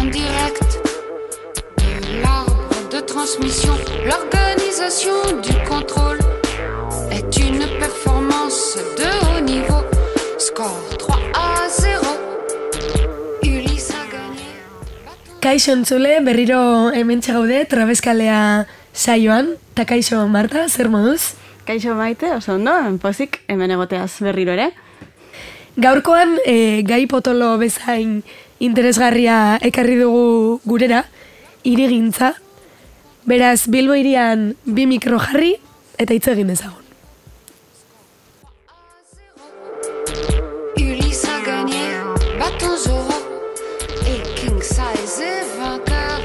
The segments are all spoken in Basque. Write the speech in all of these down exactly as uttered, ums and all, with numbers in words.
En direct de l'arbre de transmission, l'organisation du contrôle est une performance de haut niveau. Score trois à zéro. Ulysse a gagné. Kaixo entzule, berriro hementxe gaude, Trabeskalea saioan. Ta kaixo Marta, zer moduz? Kaixo Maite, oso ondo, pozik hemen egoteaz berriro ere. Gaurkoan e, gai potolo bezain interesgarria ekarri dugu gurera, hirigintza. Beraz, Bilbo hirian bi mikro jarri eta hitz egin dezagun. Ulysse a gagné, bâton Zoro et King Size est vainqueur.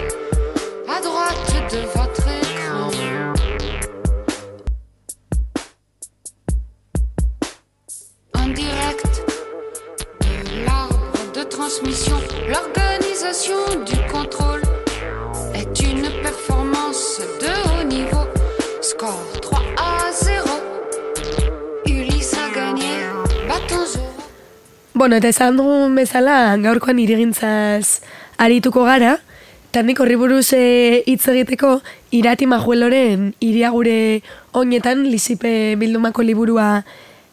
À droite de votre écran. En direct de l'arbre de transmission, l'organisation du contrôle est une performance de haut niveau. Score trois à zéro. Ulysse a gagné, bâton Zoro. Bueno, eta esan dugun bezala, gaurkoan hirigintzaz arituko gara, eta nik horri buruz e, hitz egiteko, Irati Majueloren Hiria gure oinetan, Lizipe bildumako liburua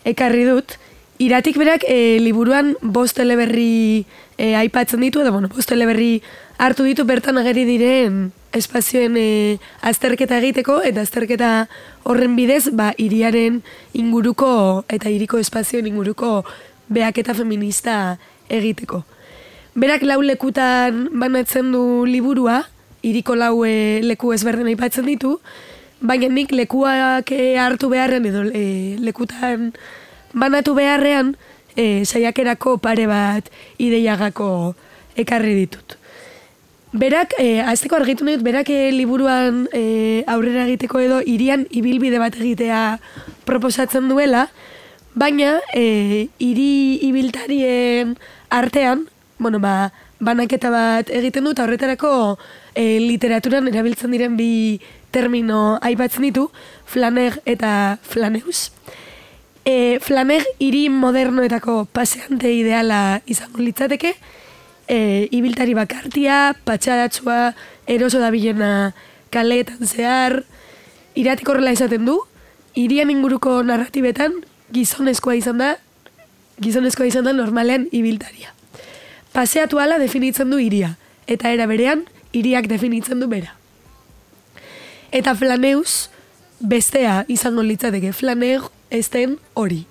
ekarri dut. Iratik berak e, liburuan bost eleberri e, aipatzen ditu, edo bueno, bost eleberri hartu ditu bertan ageri diren espazioen e, azterketa egiteko, eta azterketa horren bidez, ba, hiriaren inguruko eta hiriko espazioen inguruko behaketa feminista egiteko. Berak lau lekutan banatzen du liburua, hiriko lau e, leku ezberdin aipatzen ditu, baina nik lekuak e, hartu beharren edo e, lekutan banatu beharrean e, saiakerako pare bat ideiagako ekarri ditut. Berak, e, azteko argitu nahi dut, berak e, liburuan e, aurrera egiteko edo hirian ibilbide bat egitea proposatzen duela, baina e, hiri ibiltarien artean, bueno, ba, banaketa bat egiten dut, horretarako e, literaturan erabiltzen diren bi termino aipatzen ditu, flaner eta flaneus. E, flaner hiri modernoetako paseante ideala izango litzateke, e, ibiltari bakartia, patxadatsua, eroso dabilena kaleetan zehar, Iratik horrela esaten du, hirian inguruko narratibetan gizonezkoa izan da, gizonezkoa izan da normalean ibiltaria. Paseatu ala definitzen du hiria, eta era berean, hiriak definitzen du bera. Eta flaneus, bestea izango litzateke, flaner esten hori.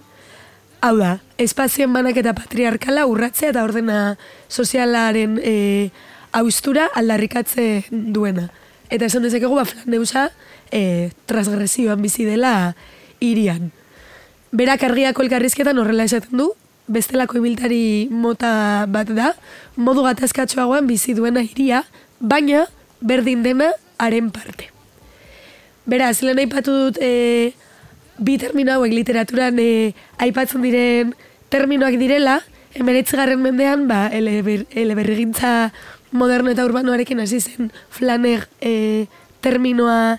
Hau da, espazioen banaketa patriarkala urratzea eta ordena sozialaren e, austura aldarrikatzen duena. Eta esan dezakegu, ba, flaneusa e, transgresioan bizi dela hirian. Berak argiako elkarrizketan horrela esaten du, bestelako ibiltari mota bat da, modu gatazkatsuagoan bizi duena hiria, baina berdin dena haren parte. Beraz, lehen aipatu dut e, bi termino hauek literaturan e, aipatzen diren terminoak direla, hemeretzigarren mendean, ba, eleber, eleberrigintza moderno eta urbanoarekin hasi zen flaner e, terminoa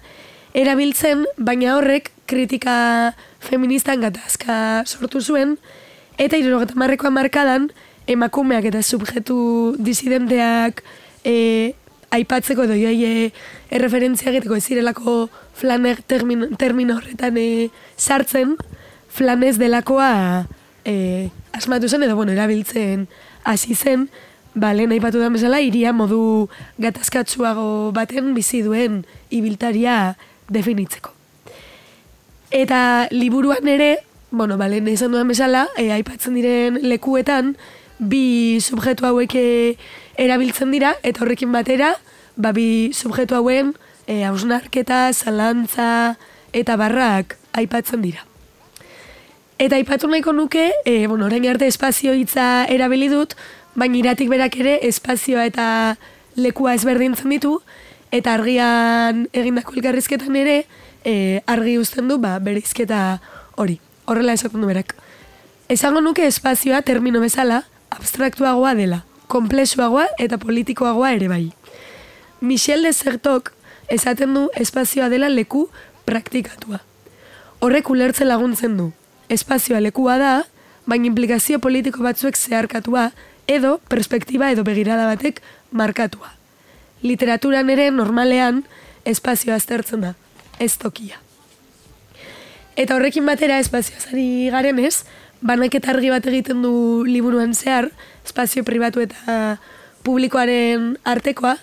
erabiltzen, baina horrek kritika feministan gatazka sortu zuen, eta hirurogeita hamarreko hamarkadan emakumeak eta subjektu disidenteak e, aipatzeko edo joai erreferentzia egiteko ez zirelako flaner termino, termino horretan e, sartzen, flanez delakoa e, asmatu zen edo bueno, erabiltzen hasi zen, ba, lehen aipatu den bezala, hiria modu gatazkatsuago baten bizi duen ibiltaria definitzeko. Eta liburuan ere, bueno, ba, lehen izan dudan bezala, e, aipatzen diren lekuetan, bi subjektu hauek e, erabiltzen dira, eta horrekin batera, ba, bi subjektu hauen e, hausnarketa, zalantza eta barrak aipatzen dira. Eta aipatu nahiko nuke, e, bueno, orain arte espazio hitza erabili dut, baina Iratik berak ere espazioa eta lekua ezberdintzen ditu, eta argian egindako elkarrizketan ere, e, argi uzten du, ba, bereizketa hori. Horrela esaten du berak. Esango nuke espazioa termino bezala abstraktuagoa dela, konplexuagoa eta politikoagoa ere bai. Michel de Certeauc esaten du espazioa dela leku praktikatua. Horrek ulertzen laguntzen du. Espazioa lekua da, baina implikazio politiko batzuek zeharkatua edo perspektiba edo begirada batek markatua. Literaturan ere normalean espazioa aztertzen da, ez tokia. Eta horrekin batera espazioaz ari garenez, banaketa argi bat egiten du liburuan zehar, espazio pribatu eta publikoaren artekoa,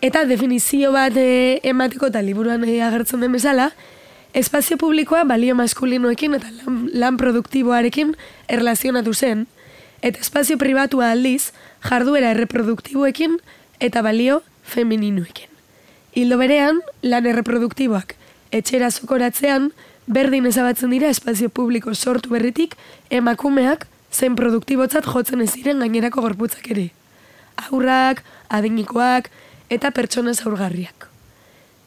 eta definizio bat e, emateko eta liburuan e, agertzen den bezala, espazio publikoa balio maskulinoekin eta lan, lan produktiboarekin erlazionatu zen, eta espazio pribatua aldiz jarduera erreproduktiboekin eta balio femininoekin. Hildo berean, lan erreproduktiboak etxera zokoratzean, berdin ezabatzen dira espazio publiko sortu berritik emakumeak zen produktibotzat jotzen ez diren gainerako gorputzak ere. Haurrak, adinikoak eta pertsona zaurgarriak.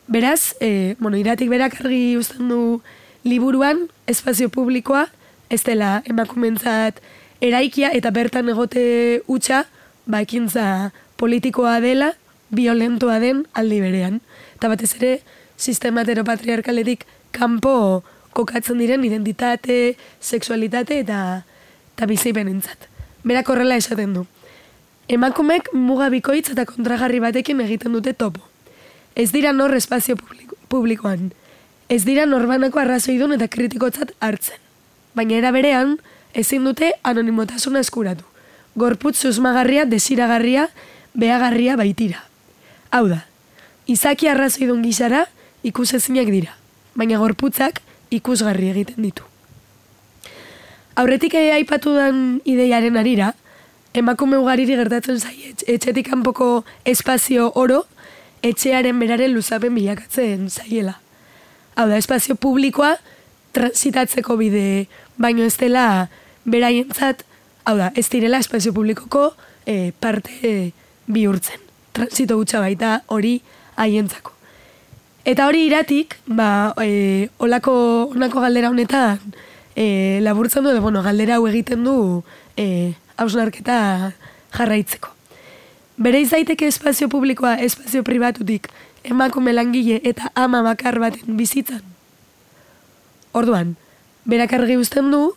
Beraz, e, bueno, Iratik berak argi uzten du liburuan espazio publikoa ez dela emakumentzat eraikia eta bertan egote hutsa, ba ekintza politikoa dela, violentoa den aldi berean. Eta batez ere, sistema heteropatriarkaletik kanpo kokatzen diren identitate, sexualitate eta, eta bizipenentzat. Berak horrela esaten du. Emakumek muga bikoitz eta kontrajarri batekin egiten dute topo. Ez dira nor espazio publiko, publikoan. Ez dira norbanako arrazoidun eta kritikotzat hartzen. Baina era berean, ezin dute anonimotasuna eskuratu. Gorputz susmagarria, desiragarria, behagarria baitira. Hau da, izaki arrazoidun gisara ikusezinak dira, baina gorputzak ikusgarri egiten ditu. Aurretik aipatu den ideiaren arira, emakume ugariri gertatzen zaie, etxetik kanpoko espazio oro, etxearen beraren luzapen bilakatzen zaiela. Hau da, espazio publikoa transitatzeko bide, baino ez dela beraientzat, hau da, ez direla espazio publikoko e, parte e, bihurtzen. Transito gutxa baita hori haientzako. Eta hori Iratik, ba, e, olako, onako galdera honetan e, laburtzen du, de, bueno, galdera hau egiten du e, hausnarketa jarraitzeko. Bere izaiteke espazio publikoa espazio pribatutik emakume langile eta ama bakar baten bizitzan. Orduan, berak argi uzten du,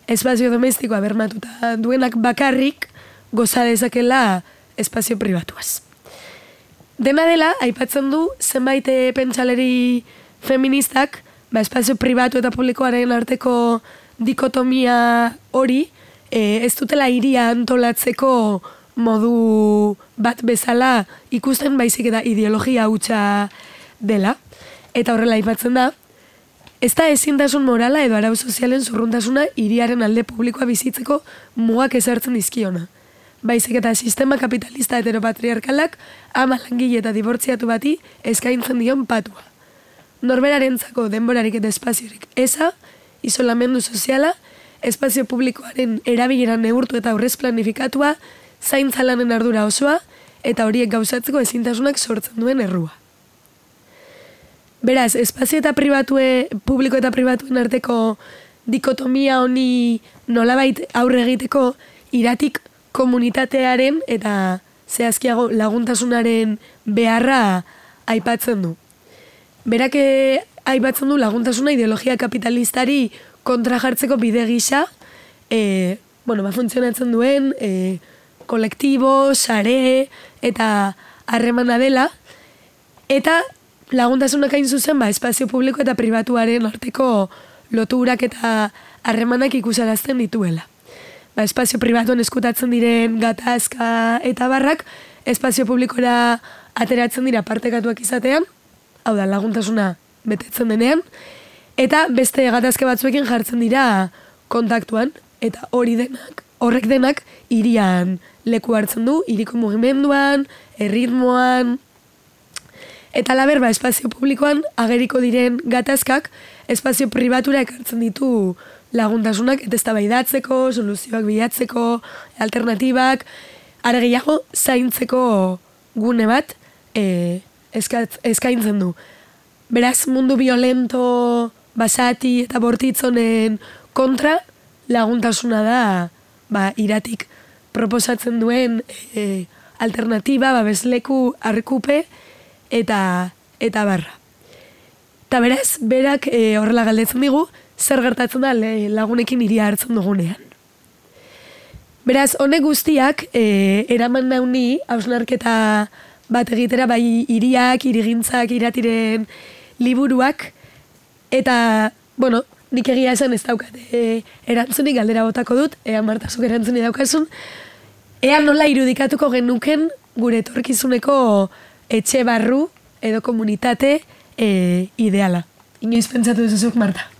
espazio domestikoa bermatuta duenak bakarrik goza dezakela espazio pribatuaz. Dena dela, aipatzen du, zenbait pentsaleri feministak, ba, espazio pribatu eta publikoaren arteko dikotomia hori, e, ez dutela hiria antolatzeko modu bat bezala ikusten baizik eta ideologia hutsa dela. Eta horrela aipatzen da, ez da ezintasun morala edo arau sozialen zurruntasuna hiriaren alde publikoa bizitzeko mugak ezartzen dizkiona. Baizik eta sistema kapitalista heteropatriarkalak ama langile eta dibortziatu bati eskaintzen dion patua. Norberarentzako denborarik eta espaziorik eza, isolamendu soziala, espazio publikoaren erabilera neurtu eta aurrez planifikatua, zaintza lanen ardura osoa, eta horiek gauzatzeko ezintasunak sortzen duen errua. Beraz, espazio eta pribatue, publiko eta pribatuen arteko dikotomia honi nolabait aurre egiteko Iratik komunitatearen eta zehazkiago laguntasunaren beharra aipatzen du. Berak aipatzen du laguntasuna ideologia kapitalistari kontra jartzeko bide gisa, e, bueno, ba, funtzionatzen duen e, kolektibo, sare eta harremana dela, eta laguntasunak hain zuzen, ba, espazio publiko eta pribatuaren arteko loturak eta harremanak ikusarazten dituela. Ba, espazio pribatuan eskutatzen diren gatazka eta barrak, espazio publikora ateratzen dira partekatuak izatean, hau da, laguntasuna betetzen denean, eta beste gatazke batzuekin jartzen dira kontaktuan, eta hori denak, horrek denak, hirian leku hartzen du, hiriko mugimenduan, erritmoan, eta laber, ba, espazio publikoan ageriko diren gatazkak, espazio pribatura ekartzen ditu laguntasunak, eta eztabaidatzeko, soluzioak bilatzeko, alternatibak, are gehiago zaintzeko gune bat e, eskatz, eskaintzen du. Beraz, mundu violento, basati eta bortitzonen kontra laguntasuna da, ba, Iratik proposatzen duen e, alternatiba, babesleku, arkupe eta eta barra. Eta beraz, berak e, horrela galdetzen digu, zer gertatzen da lagunekin hiria hartzen dugunean. Beraz, honek guztiak, e, eraman nauni, hausnarketa bat egitera, bai hiriak, hirigintzak, iratiren liburuak, eta, bueno, nik egia esan ez daukat, e, erantzunik galdera botako dut, ea Marta zuk erantzunik daukazun, ea nola irudikatuko genuken gure etorkizuneko etxe barru edo komunitate e, ideala. Inoiz pentsatu duzuzuk, Marta?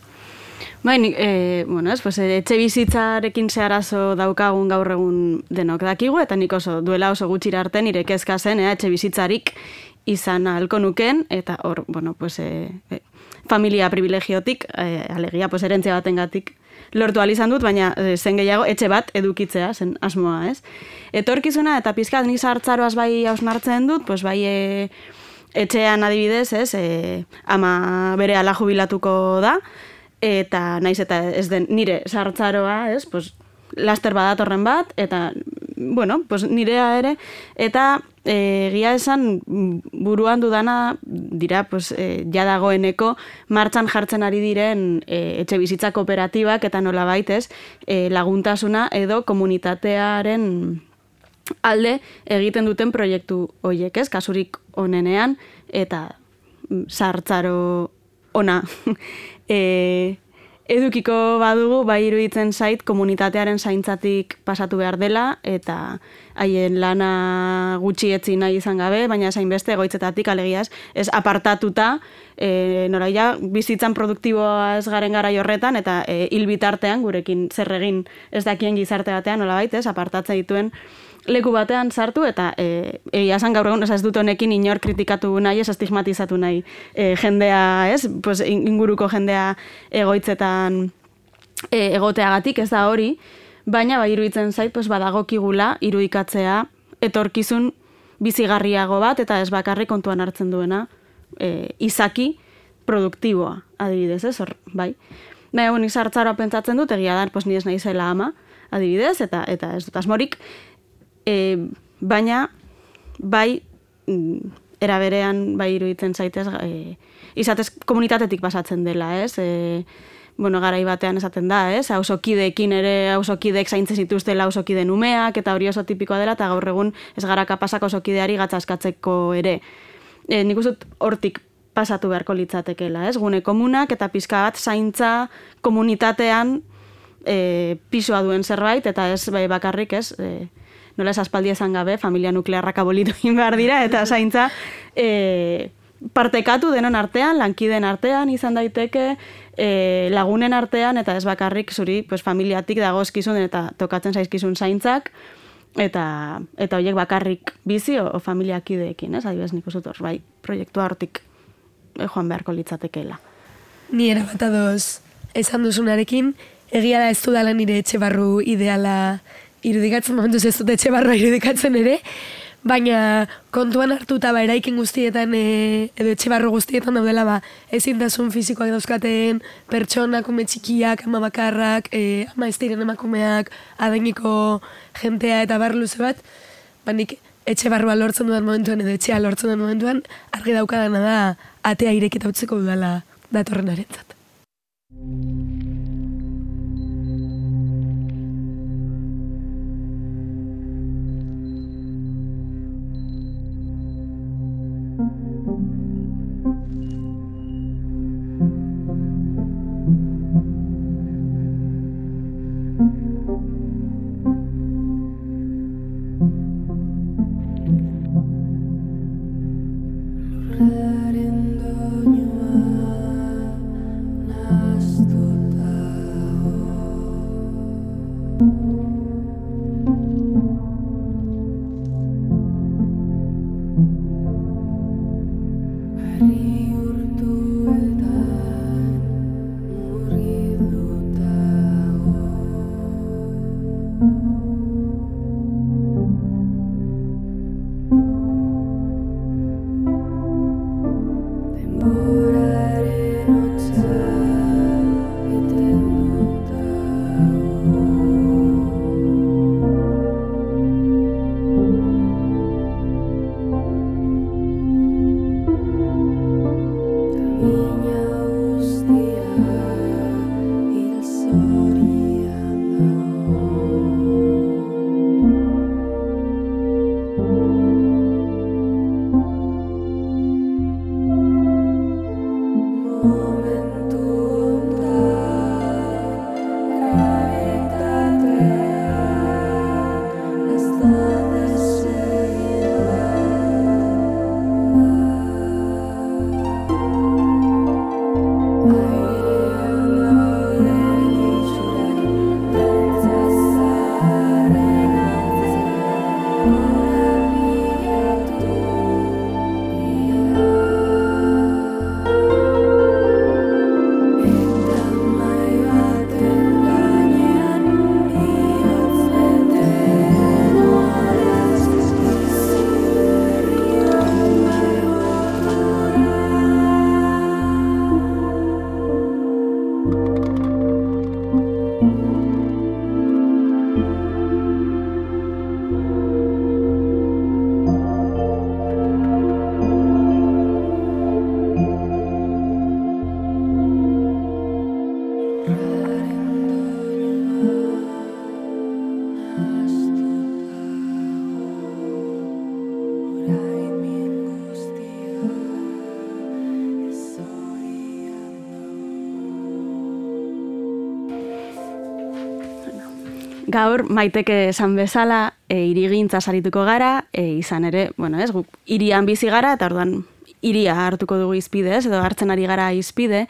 Bai, e, bueno, ez, pues, etxe bizitzarekin ze arazo daukagun gaur egun denok dakigu, eta nik oso duela oso gutxira arte nire kezka zen, ea, etxe bizitzarik izan ahalko nuken, eta hor, bueno, pues, e, e, familia privilegiotik, e, alegia, pues, erentzia batengatik lortu ahal izan dut, baina e, zen gehiago etxe bat edukitzea, zen asmoa, ez? Etorkizuna eta pizkat nik sartzaroaz bai hausnartzen dut, pues, bai e, etxean adibidez, ez, e, ama bere ala jubilatuko da, eta naiz eta ez den nire sartzaroa, ez, pues, laster badatorren bat, eta, bueno, pues, nirea ere, eta e, egia esan buruan dudana dira, pues, e, ja dagoeneko martxan jartzen ari diren e, etxe bizitza kooperatibak, eta nolabait, ez, e, laguntasuna edo komunitatearen alde egiten duten proiektu horiek, ez, kasurik onenean, eta sartzaro ona e, edukiko badugu, bai iruditzen zait komunitatearen zaintzatik pasatu behar dela, eta haien lana gutxi etzi nahi izan gabe, baina zain beste egoitzetatik alegiaz, ez apartatuta, e, noraia bizitzan produktiboa ez garen gara horretan, eta e, hil bitartean gurekin zer egin ez dakien gizarte batean, nolabait, ez, apartatze dituen leku batean sartu, eta e, egia esan gaur egun, ez dut honekin inor kritikatu nahi, ez estigmatizatu nahi e, jendea, ez, pues, inguruko jendea egoitzetan e, egoteagatik, ez da hori, baina bai iruditzen zait, pues, badagokigula irudikatzea etorkizun bizigarriago bat, eta ez bakarrik kontuan hartzen duena e, izaki produktiboa, adibidez, ez, hor, bai. Baina, nik sartzaroa pentsatzen dut, egia da, pues, ni ez naizela ama, adibidez, eta, eta ez dut asmorik, E, baina, bai, era berean, bai iruditzen zaitez, e, izatez komunitatetik pasatzen dela, ez? E, bueno, garai batean esaten da, ez? Auzokideekin ere, auzokideek zaintzen zituztela auzokide numeak, eta hori oso tipikoa dela, eta gaur egun ez gara kapasak auzokideari gatzaskatzeko ere. E, nik uste dut hortik pasatu beharko litzatekela, ez? Gune komunak eta pizka bat zaintza komunitatean e, pisua duen zerbait, eta ez bai, bakarrik, ez? E, nola ez aspaldi esan gabe, familia nuklearrak abolitu egin behar dira, eta zaintza e, partekatu denon artean, lankiden artean izan daiteke, e, lagunen artean, eta ez bakarrik zuri pues, familiatik dagozkizun eta tokatzen zaizkizun zaintzak, eta eta horiek bakarrik bizi o, o familiakideekin, ez? Adibidez nik uste dut, bai, proiektua hortik e, joan beharko litzatekeela. Ni erabat adoz esan duzunarekin, egia da ez dudala nire etxe barru ideala irudikatzen, momentuz ez dut etxe barroa irudikatzen ere, baina kontuan hartuta ba, eraikin guztietan e, edo etxe barro guztietan daudela ba, ezintasun fizikoak dauzkaten pertsonak, ume txikiak, ama bakarrak, e, ama ez diren emakumeak, adeiniko jentea eta bar luze bat, ba, nik etxe barroa lortzen dudan momentuan edo etxea lortzen dudan momentuan, argi daukadana da atea irekita utziko dudala datorren arentzat. Nastuta Gaur, Maiteke esan bezala, e, hirigintza sarituko gara, e, izan ere, bueno, ez, guk hirian bizi gara, eta orduan hiria hartuko dugu izpide, ez, edo hartzen ari gara izpide.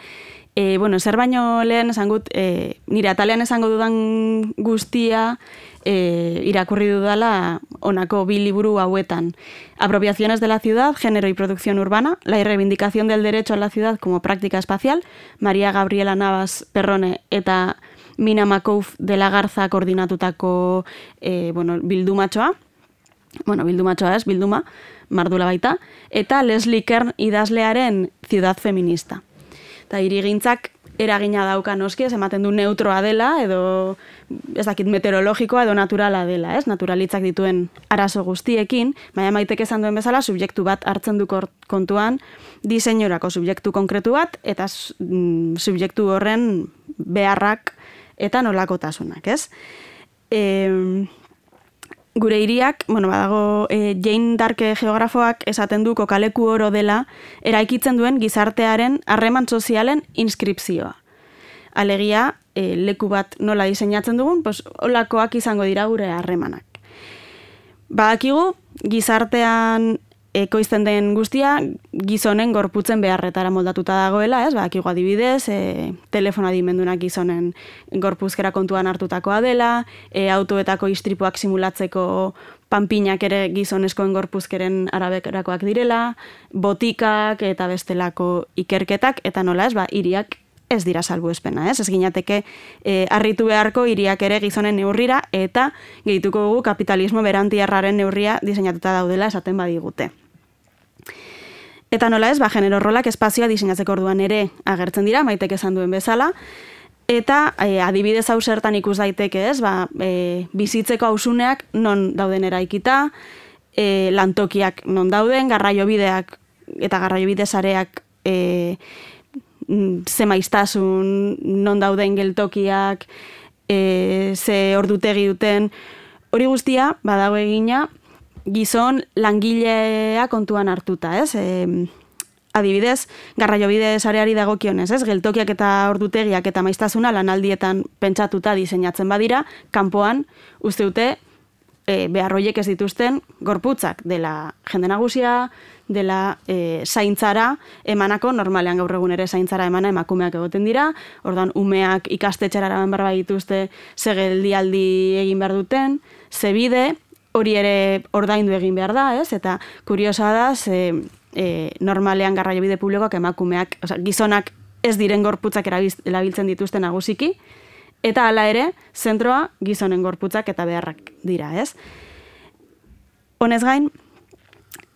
E, bueno, zer baino lehen esan gut, e, nire atalean esango dudan guztia, e, irakurri dudala honako bi liburu hauetan. Apropiaciones de la ciudad, género y producción urbana, la reivindicación del derecho a la ciudad como práctica espacial, María Gabriela Navas Perrone eta Mina Makouf de la Garza koordinatutako e, bueno, bildumatxoa, bueno, bildumatxoa ez, bilduma, mardula baita, eta Leslie Kern idazlearen Ciudad Feminista. Eta hirigintzak eragina dauka noski, ez ematen du neutroa dela, edo ez dakit meteorologikoa edo naturala dela, ez? Naturalitzak dituen arazo guztiekin, baina Maitek esan duen bezala, subjektu bat hartzen du kontuan, diseinorako subjektu konkretu bat, eta mm, subjektu horren beharrak eta nolakotasunak, ez? E, gure hiriak, bueno, badago, e, Jane Darke geografoak esaten du kokaleku oro dela eraikitzen duen gizartearen harreman sozialen inskripzioa. Alegia, e, leku bat nola diseinatzen dugun, pues, olakoak izango dira gure harremanak. Badakigu, gizartean ekoizten den guztia, gizonen gorputzen beharretara moldatuta dagoela, ez? Badakigu adibidez, e, telefono adimendunak gizonen gorpuzkera kontuan hartutakoa dela, e, autoetako istripuak simulatzeko panpinak ere gizoneskoen gorpuzkeren araberakoak direla, botikak eta bestelako ikerketak, eta nola ez, ba, hiriak ez dira salbuespena, ez? Ez ginateke e, harritu beharko hiriak ere gizonen neurrira, eta gehituko dugu kapitalismo berantiarraren neurria diseinatuta daudela esaten badigute. Eta nola ez, ba, genero rolak espazioa diseinatzeko orduan ere agertzen dira, Maitek esan duen bezala, eta e, adibidez hau zertan ikus daiteke ez, ba, e, bizitzeko hausuneak non dauden eraikita, e, lantokiak non dauden, garraiobideak eta garraiobide sareak e, ze maiztasun non dauden geltokiak, e, ze ordutegi duten, hori guztia badago egina, gizon langilea kontuan hartuta, ez? E, adibidez, garraiobide sareari dagokionez, ez? Geltokiak eta ordutegiak eta maiztasuna lanaldietan pentsatuta diseinatzen badira, kanpoan uste dute e, beharroiek ez dituzten gorputzak dela jende nagusia, dela e, zaintzara emanako, normalean gaur egun ere zaintzara emana emakumeak egoten dira, orduan umeak ikastetxera eraman behar dituzte ze geldialdi egin behar duten, ze bide, hori ere ordaindu egin behar da, ez? Eta kuriosa da, ze, e, normalean garraiobide publikoak emakumeak, oza, gizonak ez diren gorputzak erabiltzen dituzten nagusiki, eta hala ere, zentroa gizonen gorputzak eta beharrak dira, ez? Honez gain,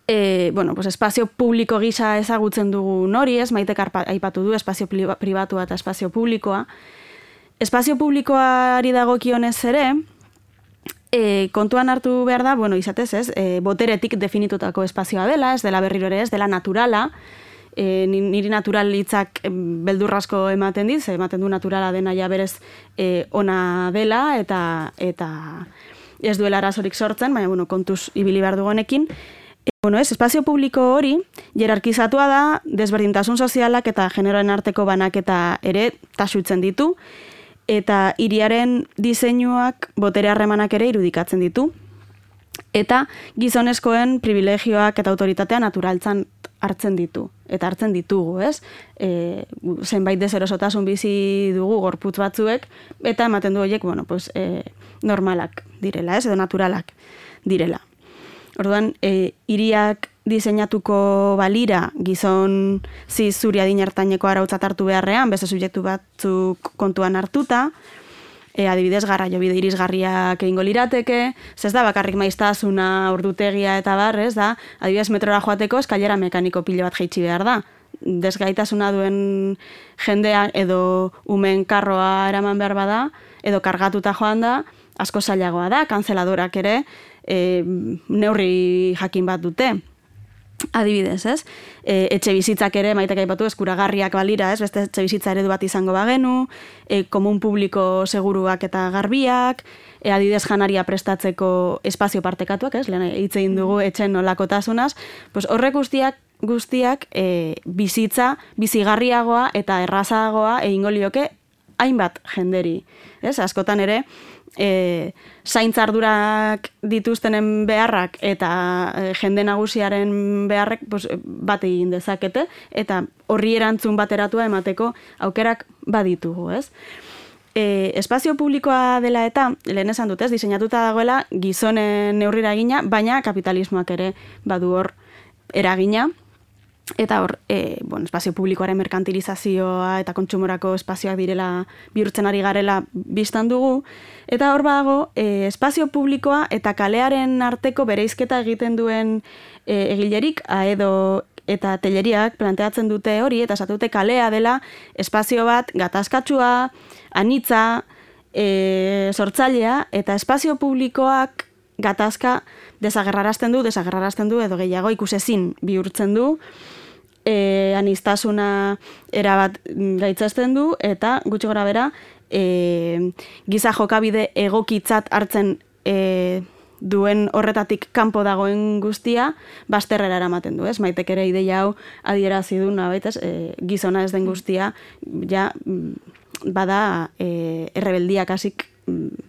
e, bueno, pues espazio publiko gisa ezagutzen dugu nori, ez? Maitek aipatu du espazio pribatua eta espazio publikoa. Espazio publikoari dagokionez ere, E, kontuan hartu behar da, bueno, izatez ez, e, boteretik definitutako espazioa dela, ez dela berriro ere ez, dela naturala, e, niri natural hitzak beldurrasko ematen dit, ematen du naturala dena ja berez e, ona dela, eta eta ez duela arazorik sortzen, baina, bueno, kontuz ibili behar dugu honekin. E, bueno, ez, espazio publiko hori, jerarkizatua da, desberdintasun sozialak eta generoen arteko banaketa ere tasutzen ditu, eta hiriaren diseinuak botere harremanak ere irudikatzen ditu. Eta gizonezkoen privilegioak eta autoritatea naturaltzan hartzen ditu. Eta hartzen ditugu, ez? E, zenbait deserosotasun bizi dugu gorputz batzuek, eta ematen du horiek, bueno, pues, e, normalak direla, ez? Edo naturalak direla. Orduan, e, hiriak diseinatuko balira gizon ziz zuri adinertaineko arautzat hartu beharrean, beste subjektu batzuk kontuan hartuta, e, adibidez garraiobide irisgarriak egingo lirateke, ez da bakarrik maiztasuna, ordutegia eta bar, ez da, adibidez metrora joateko eskailera mekaniko pilo bat jaitsi behar da. Desgaitasuna duen jendea edo umen karroa eraman behar bada, edo kargatuta joan da, asko zailagoa da, kanzeladorak ere e, neurri jakin bat dute. Adibidez, ez? E, etxe bizitzak ere, Maitek aipatu, eskuragarriak balira, ez? Beste etxe bizitza eredu bat izango bagenu, e, komun publiko seguruak eta garbiak, e, adibidez janaria prestatzeko espazio partekatuak, ez? Lehen hitz egin dugu etxen nolakotasunaz, pues horrek guztiak guztiak e, bizitza bizigarriagoa eta errazagoa egingo lioke hainbat jenderi. Ez? Askotan ere, e, zaintzardurak dituztenen beharrak eta e, jende nagusiaren beharrek pues, bat egin dezakete, eta horri erantzun bateratua emateko aukerak baditugu, ez? E, espazio publikoa dela eta, lehen esan dut, ez, diseinatuta dagoela gizonen neurrira egina, baina kapitalismoak ere badu hor eragina, eta hor, e, bueno, espazio publikoaren merkantilizazioa eta kontsumorako espazioak direla bihurtzen ari garela bistan dugu, eta hor badago, e, espazio publikoa eta kalearen arteko bereizketa egiten duen e, egilerik, aedo eta telleriak planteatzen dute hori, eta esatu dute kalea dela espazio bat gatazkatsua, anitza, e, sortzailea, eta espazio publikoak gatazka desagerrarazten du, desagerrarazten du, edo gehiago ikusezin bihurtzen du, e, aniztasuna erabat gaitzesten du, eta gutxi gora bera, e, giza jokabide egokitzat hartzen e, duen horretatik kanpo dagoen guztia, bazterrera eramaten du, ez? Maitek ere ideia hau adierazi du, nabait, ez? E, gizona ez den guztia, ja, bada e, errebeldiak hasik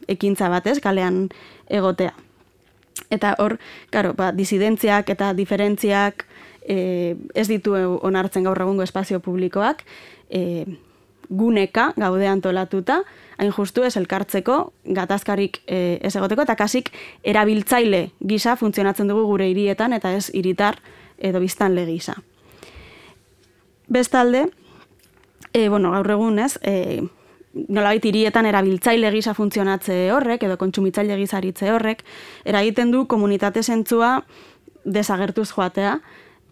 ekintza batez, kalean egotea. Eta hor, karo, ba, disidentziak eta diferentziak e, ez ditu onartzen gaur egungo espazio publikoak, e, guneka gaude antolatuta, hain justu ez elkartzeko, gatazkarik e, ez egoteko, eta kasik erabiltzaile gisa funtzionatzen dugu gure hirietan, eta ez hiritar edo biztanle gisa. Bestalde, e, bueno, gaur egun ez, e, nolabait hirietan erabiltzaile gisa funtzionatze horrek, edo kontsumitzaile gisa aritze horrek, eragiten du komunitate zentzua desagertuz joatea,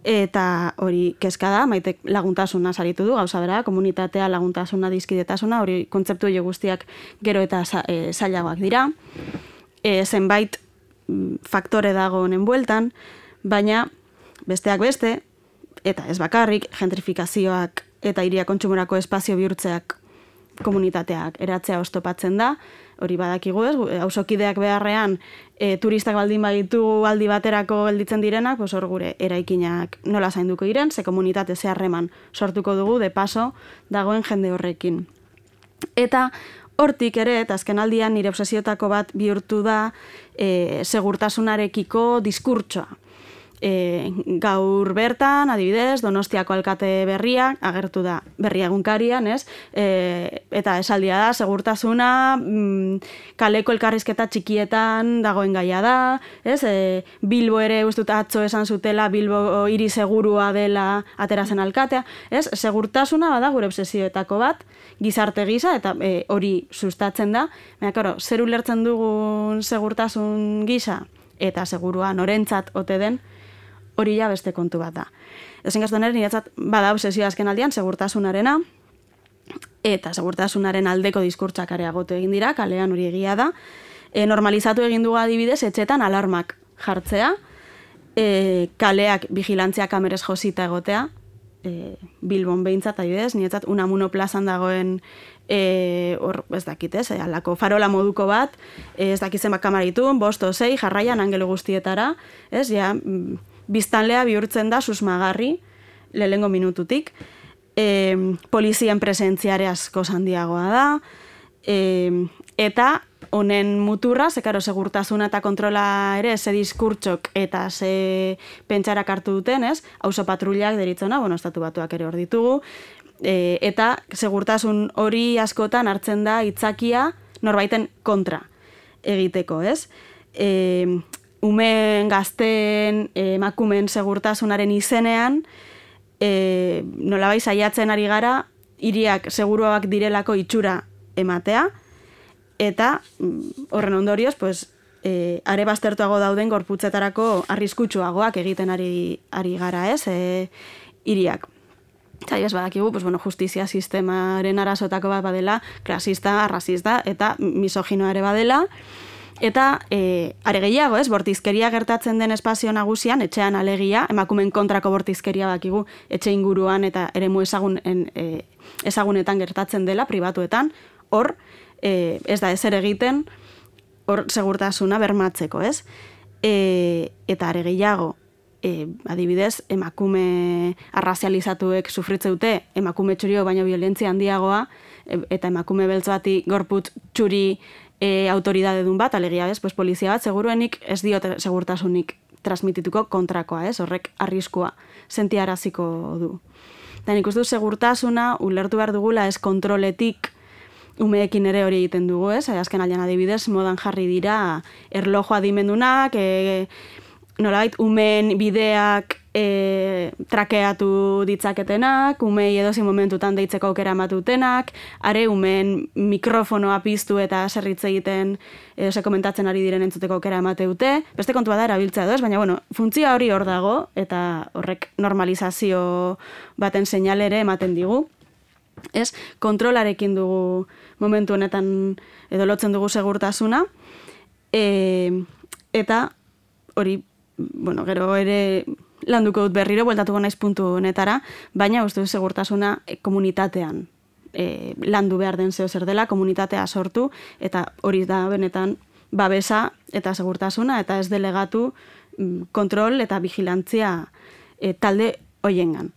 eta hori kezka da, Maitek laguntasuna saritu du, gauza bera, komunitatea, laguntasuna, dizkidetasuna, hori kontzeptu hori guztiak gero eta e, zailagoak dira, e, zenbait faktore dago honen bueltan, baina besteak beste, eta ez bakarrik, gentrifikazioak eta hiria kontsumorako espazio bihurtzeak komunitateak eratzea oztopatzen da, hori badakigu ez, auzokideak beharrean e, turistak baldin baditu aldi baterako gelditzen direnak, pues hor gure eraikinak nola zainduko diren, ze komunitate ze harreman sortuko dugu de paso dagoen jende horrekin. Eta hortik ere, eta azken aldian nire obsesiotako bat bihurtu da e, segurtasunarekiko diskurtsoa. E, gaur bertan, adibidez, Donostiako alkate berria, agertu da berria egunkarian, ez? E, eta esaldia da, segurtasuna, mm, kaleko elkarrizketa txikietan dagoen gaia da, ez? E, Bilbo ere ustut atzo esan zutela, Bilbo hiri segurua dela aterazen alkatea, ez? Segurtasuna bada gure obsesioetako bat, gizarte gisa, eta e, hori sustatzen da. Baina, karo, zer ulertzen dugun segurtasun gisa, eta segurua norentzat ote den, hori ja beste kontu bat da. Ezen gaztuan niretzat bada obsesio azken aldian segurtasunarena, eta segurtasunaren aldeko diskurtsak areagotu egin dira, kalean hori egia da. E, normalizatu egin dugu adibidez, etxetan alarmak jartzea, e, kaleak vigilantzia kamerez josita egotea, e, Bilbon behintzat adibidez, niretzat Unamuno plazan dagoen E, hor, ez dakit, ez, alako farola moduko bat, ez dakit zenbat kamaritun, bosto zei, jarraian angelo guztietara, ez, ja, biztanlea bihurtzen da susmagarri, lehengo minututik, e, polizien presentziare asko handiagoa da, e, eta honen muturra, zekaro segurtasuna eta kontrola ere, ze diskurtsok eta ze pentsarak hartu duten, ez, auzo patrullak deritzona, bueno, estatu batuak ere hor ditugu, E, eta segurtasun hori askotan hartzen da hitzakia norbaiten kontra egiteko, ez? E, umen, gazten, emakumen segurtasunaren izenean, e, nolabait saiatzen ari gara, hiriak seguruak direlako itxura ematea, eta horren ondorioz, pues, e, are baztertuago dauden gorputzetarako arriskutsuagoak egiten ari, ari gara, ez? E, hiriak. Zai, ez badakigu, pues, bueno, justizia sistemaren arazotako bat badela, klasista, rasista eta misoginoa ere badela. Eta e, are gehiago, ez, bortizkeria gertatzen den espazio nagusian, etxean alegia, emakumen kontrako bortizkeria bakigu etxe inguruan eta eremu ezagun, e, ezagunetan gertatzen dela, pribatuetan, hor, e, ez da ezer egiten, hor segurtasuna bermatzeko, ez? E, eta are gehiago, E, adibidez, emakume arrazializatuek sufritze dute, emakume txurio baino violentzia handiagoa, eta emakume beltz bati gorputz txuri e, autoridade dun bat, alegia bez, pues, polizia bat, seguruenik ez diot segurtasunik transmitituko kontrakoa, ez, horrek arriskua sentiaraziko du. Eta nik uste du segurtasuna ulertu behar dugula ez kontroletik umeekin ere hori egiten dugu, ez? Azken aldean adibidez, modan jarri dira erlojo adimendunak, e, nolabait, umeen bideak e, trakeatu ditzaketenak, umei edozein momentutan deitzeko aukera ematutenak, are umeen mikrofonoa piztu eta zerritze egiten edo ze komentatzen ari diren entzuteko aukera emateute. Beste kontua da erabiltzea edo ez, baina bueno, funtzioa hori hor dago eta horrek normalizazio baten seinale ere ematen digu. Ez, kontrolarekin dugu momentu honetan edo lotzen dugu segurtasuna, e, eta hori, bueno, gero ere landuko dut berriro, bueltatuko naiz puntu honetara, baina uste dut segurtasuna komunitatean e, landu behar den zeo zer dela, komunitatea sortu, eta hori da benetan babesa eta segurtasuna, eta ez delegatu kontrol eta vigilantzia e, talde hoiengan.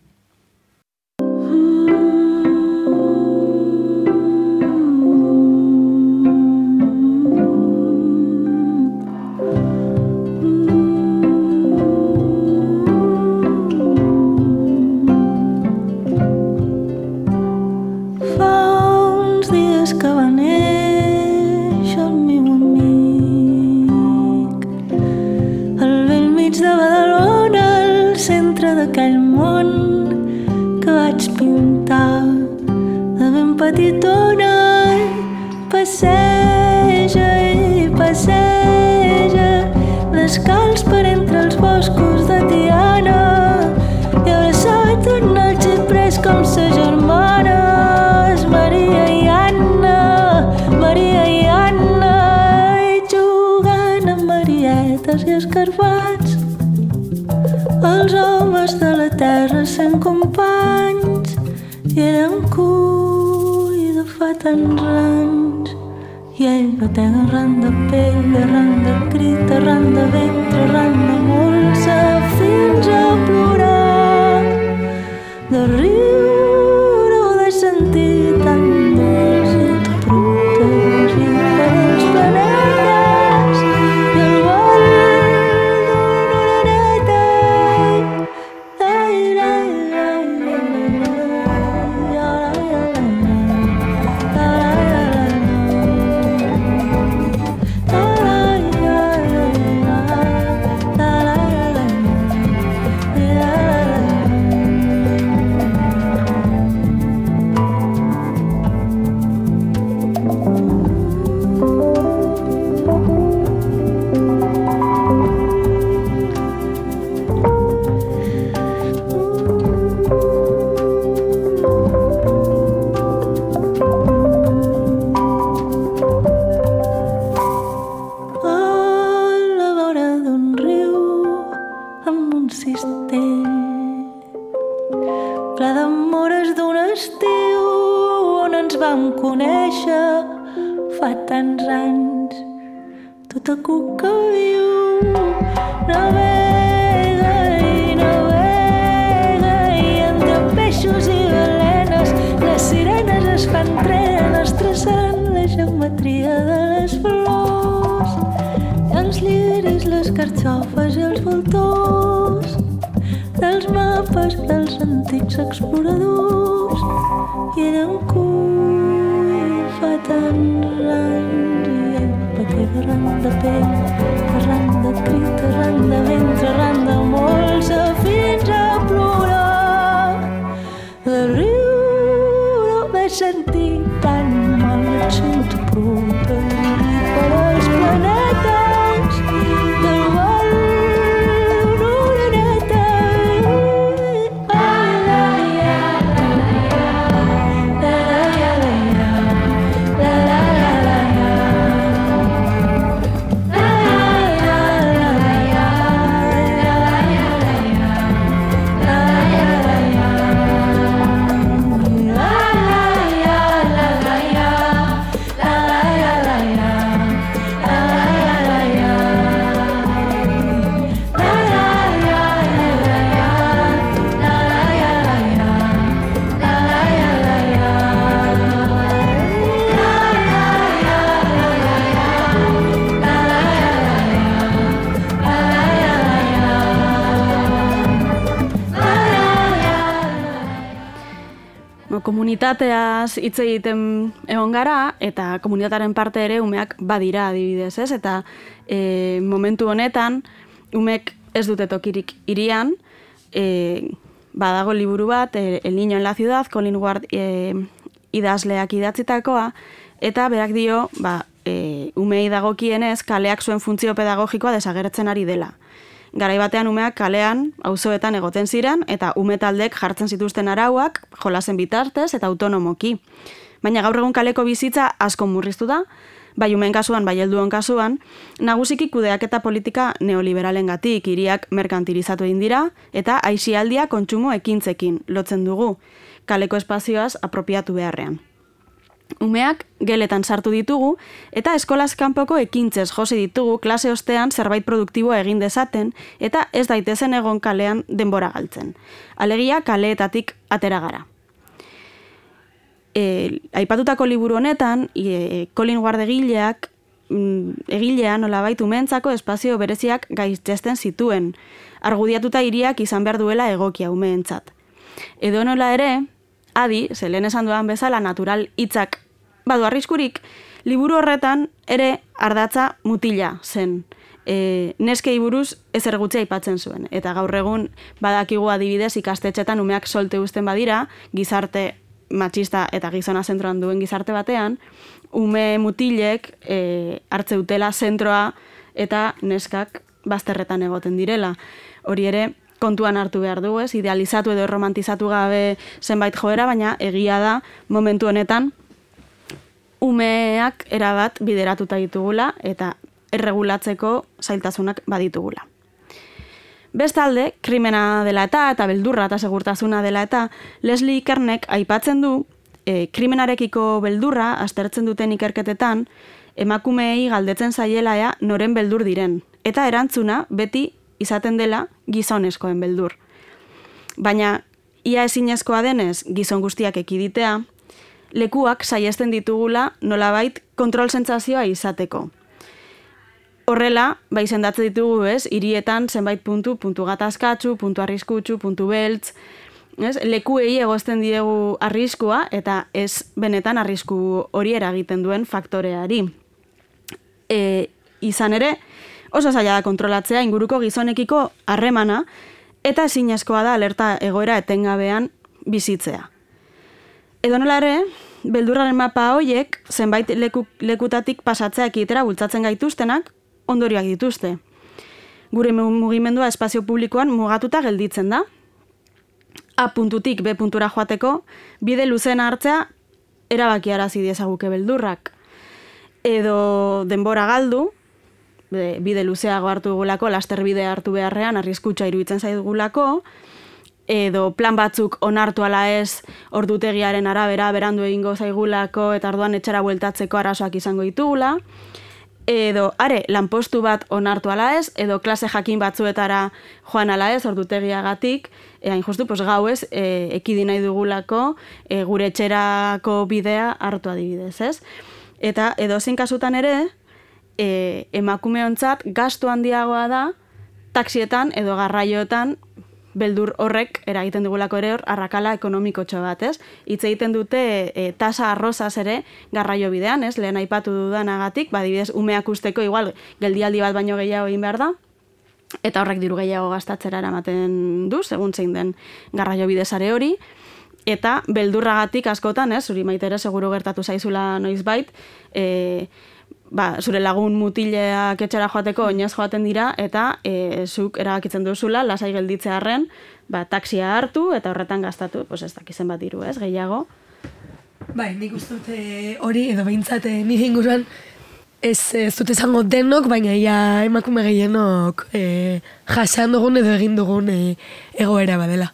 D'aquell món que vaig pintar de ben petitona, passeja i passeja descalç per entre els boscos de Tiana i abraçat en el xiprers com sa germanes Maria i Anna, Maria i Anna, i jugant amb marietes i escarpats. Els homes de la terra sent companys i eren cull de fa tants anys. I ell batega arran de pell, arran de crit, arran de ventre, arran de molsa, fins a plorar, de riure o de sentir tan dolç i protegit per els planetes i el vol tota cuca viu, navega i navega i entre peixos i balenes les sirenes es fan trenes traçant la geometria de les flors i els lliris, les carxofes i els voltors dels mapes dels antics exploradors i eren cull fa tants anys i ell batega arran de pell, arran de crit, arran de ventre, arran de molsa, fins a plorar. De riure o de sentir tan mal et sento protegit per als planetes del vol d'una oreneta. Ai, la, la, la, la, la, la, la, la, la, la, la, la. komunitateaz hitz egiten egon gara, eta komunitatearen parte ere umeak badira adibidez, ez? Eta e, momentu honetan, umek ez dute tokirik hirian, e, badago liburu bat, e, El Niño en la Ciudad, Colin Ward e, idazleak idatzitakoa, eta berak dio, ba, e, umei dagokienez, kaleak zuen funtzio pedagogikoa desagertzen ari dela. Garai batean umeak kalean, auzoetan egoten ziren, eta ume taldek jartzen zituzten arauak, jolasen bitartez eta autonomoki. Baina gaur egun kaleko bizitza asko murriztu da, bai umeen kasuan, bai helduen kasuan, nagusiki kudeaketa politika neoliberalengatik, hiriak merkantilizatu egin dira, eta aisialdia kontsumo ekintzekin lotzen dugu, kaleko espazioaz apropiatu beharrean. Umeak geletan sartu ditugu eta eskolaz kanpoko ekintzez josi ditugu klase ostean zerbait produktiboa egin dezaten eta ez daitezen egon kalean denbora galtzen. Alegia kaleetatik atera gara. E, aipatutako liburu honetan, e, Colin Ward egileak mm, egilea nolabait umeentzako espazio bereziak gaitzesten zituen, argudiatuta hiriak izan behar duela egokia umeentzat. Edo nola ere, adi, ze lehen esan duan bezala natural hitzak badu arriskurik, liburu horretan ere ardatza mutila zen. E, neskei buruz ezer gutxi aipatzen zuen. Eta gaur egun badakigu adibidez ikastetxetan umeak solte uzten badira, gizarte matxista eta gizona zentroan duen gizarte batean, ume mutilek e, hartze utela zentroa eta neskak bazterretan egoten direla. Hori ere, kontuan hartu behar du, ez? Idealizatu edo romantizatu gabe zenbait joera, baina egia da momentu honetan umeak erabat bideratuta ditugula eta erregulatzeko zailtasunak baditugula. Bestalde, krimena dela eta eta beldurra eta segurtasuna dela eta Leslie Kernek aipatzen du e, krimenarekiko beldurra aztertzen duten ikerketetan emakumeei galdetzen zaiela ea noren beldur diren eta erantzuna beti izaten dela gizonezkoen beldur. Baina, ia ezinezkoa denez gizon guztiak ekiditea, lekuak saiesten ditugula nolabait kontrol sentsazioa izateko. Horrela, bai sendatzen ditugu, ez, hirietan zenbait puntu, puntu gatazkatsu, puntu arriskutsu, puntu beltz, ez, lekuei egozten diegu arriskua eta ez benetan arrisku hori eragiten duen faktoreari. E, izan ere, oso zaila da kontrolatzea inguruko gizonekiko harremana eta ezinezkoa da alerta egoera etengabean bizitzea. Edo nola ere, beldurraren mapa hoiek zenbait leku, lekutatik pasatzea ekitera bultzatzen gaituztenak ondorioak dituzte. Gure mugimendua espazio publikoan mugatuta gelditzen da. A puntutik B puntura joateko bide luzena hartzea erabakiarazi diezaguke beldurrak. Edo denbora galdu, bide luzeago hartu dugulako, laster bide hartu beharrean, arriskutsa iruditzen zaigulako, edo plan batzuk onartu ala ez ordutegiaren arabera berandu egingo zaigulako eta orduan etxera bueltatzeko arazoak izango ditugula, edo are lanpostu bat onartu ala ez, edo klase jakin batzuetara joan ala ez ordutegiagatik, e, hain justu pues, gauez e, ekidi nahi dugulako e, gure etxerako bidea hartu adibidez, ez? Eta edozein kasutan ere, e, emakumeontzat gastu handiagoa da taxietan edo garraioetan beldur horrek eragiten dugulako ere hor arrakala ekonomikotxo bat, ez? Hitz egiten dute e, tasa arrozaz ere garraio bidean, ez? Lehen aipatu dudanagatik, badibidez umeak usteko igual geldialdi bat baino gehiago egin behar da, eta horrek diru gehiago gastatzera eramaten du, segun zein den garraio bidezare hori, eta beldurragatik askotan, ez? Zuri maite ere seguru gertatu zaizula noizbait, e, ba, zure lagun mutileak etxera joateko oinez joaten dira, eta e, zuk erabakitzen duzula, lasai gelditzearren, ba, taxia hartu eta horretan gastatu, pues ez dakizen bat diru, ez, gehiago. Bai, nik uste dute hori, edo behintzat nire inguruan, ez, ez dute izango denok, baina ia emakume gehienok e, jasan dugun edo egin dugun e, egoera badela.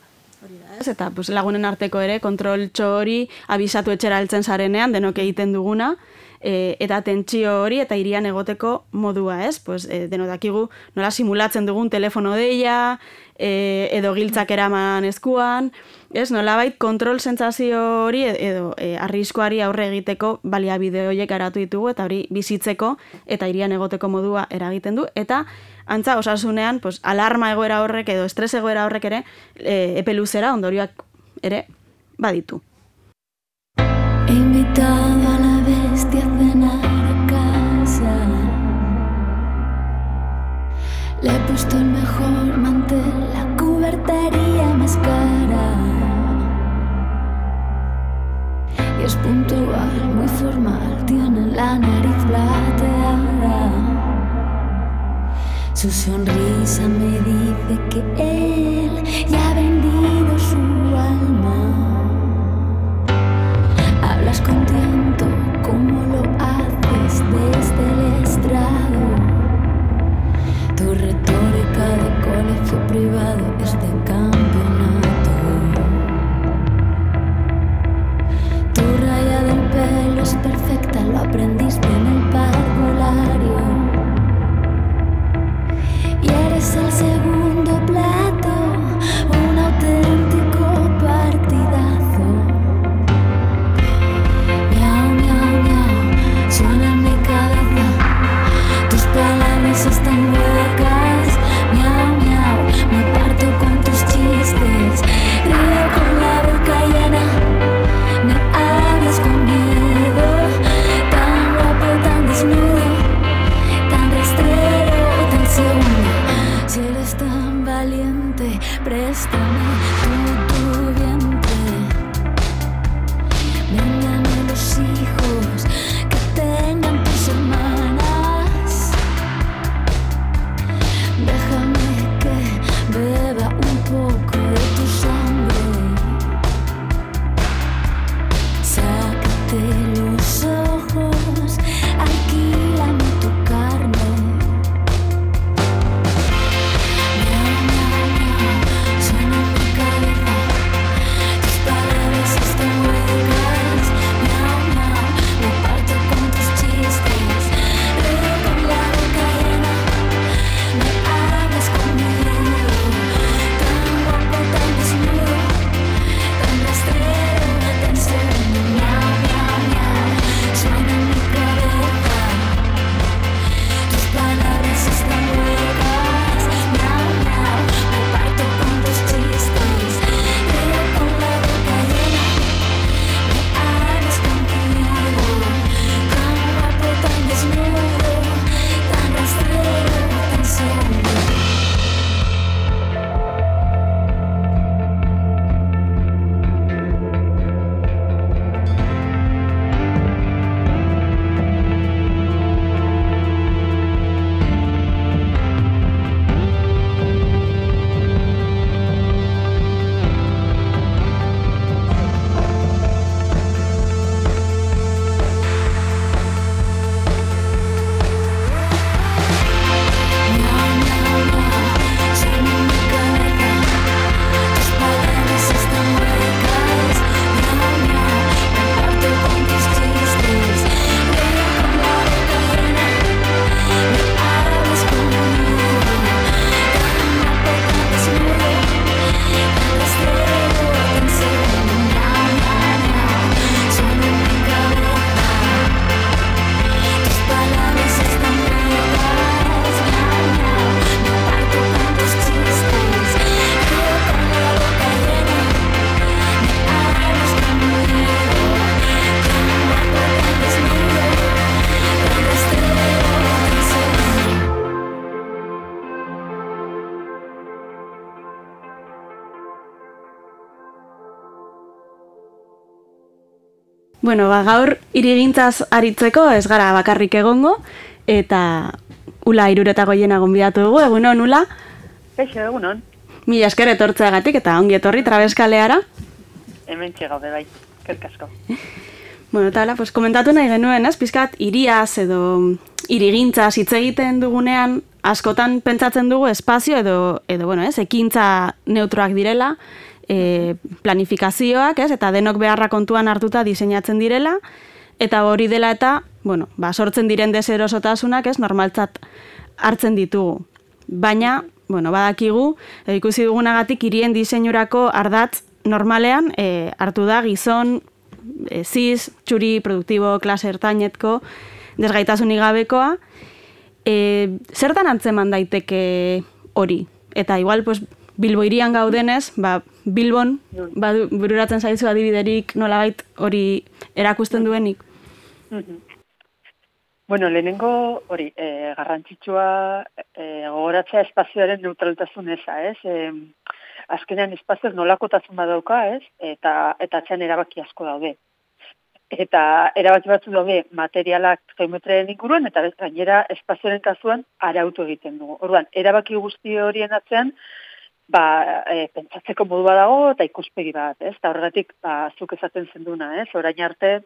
Eta pues, lagunen arteko ere, kontroltxo hori abisatu etxera heltzen zarenean, denok egiten duguna, E, eta tentsio hori eta hirian egoteko modua, ez? Pues, e, denotakigu nola simulatzen dugun telefono deia, e, edo giltzak eraman eskuan, ez? Nolabait kontrol sentsazio hori edo e, arriskoari aurre egiteko baliabide horiek garatu ditugu eta hori bizitzeko eta hirian egoteko modua eragiten du eta antza osasunean pues, alarma egoera horrek edo estres egoera horrek ere e, epe luzera ondorioak ere baditu. invitado a la bestia a cenar a casa. Le he puesto el mejor mantel, la cubertería más cara. Y es puntual, muy formal, tiene la nariz plateada. Su sonrisa me dice que él ya ha vendido su alma. Hablas con tiento como lo haces desde el estrado. Tu retórica de colegio privado es de campeonato. Tu raya del pelo es perfecta, lo aprendiste en el parvulario. Y eres el segundo plato, un auténtico partidazo. Miau, miau, miau, suena en mi cabeza. Tus palabras están huecas. Miau, miau, me parto con tus chistes. Río con la boca llena. Me hablas con miedo. Tan guapo, tan desnudo, tan rastrero, tan seguro. Si eres tan valiente, préstame tu, tu vientre. Véndame los hijos que tengan tus hermanas. Déjame que beba un poco de tu sangre. Sácate los ojos, alquílame tu carne. Miau, miau, miau, suena en mi cabeza. Tus palabras están huecas. Miau, miau, me parto con tus chistes. Río con la boca llena. Me hablas con miedo. Tan guapo, tan desnudo, tan rastrero, tan seguro. Miau, miau, miau, suena en mi cabeza. Tus palabras están huecas. Miau, miau, me parto con tus chistes. Río con la boca llena. Me hablas con miedo. Tan guapo, tan desnudo, tan rastrero, tan seguro. Miau, miau, miau, suena en mi cabeza. Tus palabras están huecas. Miau, miau, me parto con tus chistes. Río con la boca llena. Me hablas con miedo. Tan guapo, tan desnudo, tan rastrero, tan seguro. Miau, miau, miau, suena en mi cabeza. Tus palabras están huecas. Miau, miau, me parto con tus chistes. Río con la boca llena. Me hablas con miedo. Tan guapo, tan desnudo, tan rastrero, tan seguro. Bueno, ba, gaur irigintzaz aritzeko ez gara bakarrik egongo, eta Ula Irureta Goiena gonbidatu dugu, egunon, Ula? Kaixo, egunon. Mila esker etortzeagatik eta ongi etorri Trabeskaleara. Hemen txegaude bai, kerkasko. Bueno, eta hala, pues, komentatu nahi genuen, ez? Pizkat, iriaz edo irigintzaz hitz egiten dugunean, askotan pentsatzen dugu espazio edo, edo bueno, ez, ekintza neutroak direla, e, planifikazioak, ez, eta denok beharra kontuan hartuta diseinatzen direla, eta hori dela eta, bueno, ba, sortzen diren deserosotasunak, ez, normaltzat hartzen ditugu. Baina, bueno, badakigu, e, ikusi dugunagatik hirien diseinurako ardatz normalean e, hartu da gizon, e, cis, txuri, produktibo, klase ertainetko, desgaitasunik gabekoa. E, zertan antzeman daiteke hori? Eta igual, pues, Bilbo hirian gaudenez, ba, Bilbon, ba, bururatzen zaizu adibiderik nolabait hori erakusten duenik? Bueno, lehenengo hori, e, garrantzitsua e, gogoratzea espazioaren neutraltasun eza, ez? E, azkenean espazioak nolakotasun badauka, ez? Eta, eta atzean erabaki asko daude. Eta erabaki batzu daude materialak geometriaren inguruan, eta gainera espazioaren kasuan arautu egiten dugu. Orduan, erabaki guzti horien atzean, ba, e, pentsatzeko modu badago eta ikuspegi bat, ez? Eta horregatik, ba, zuk esaten zenduna, ez? Orain arte,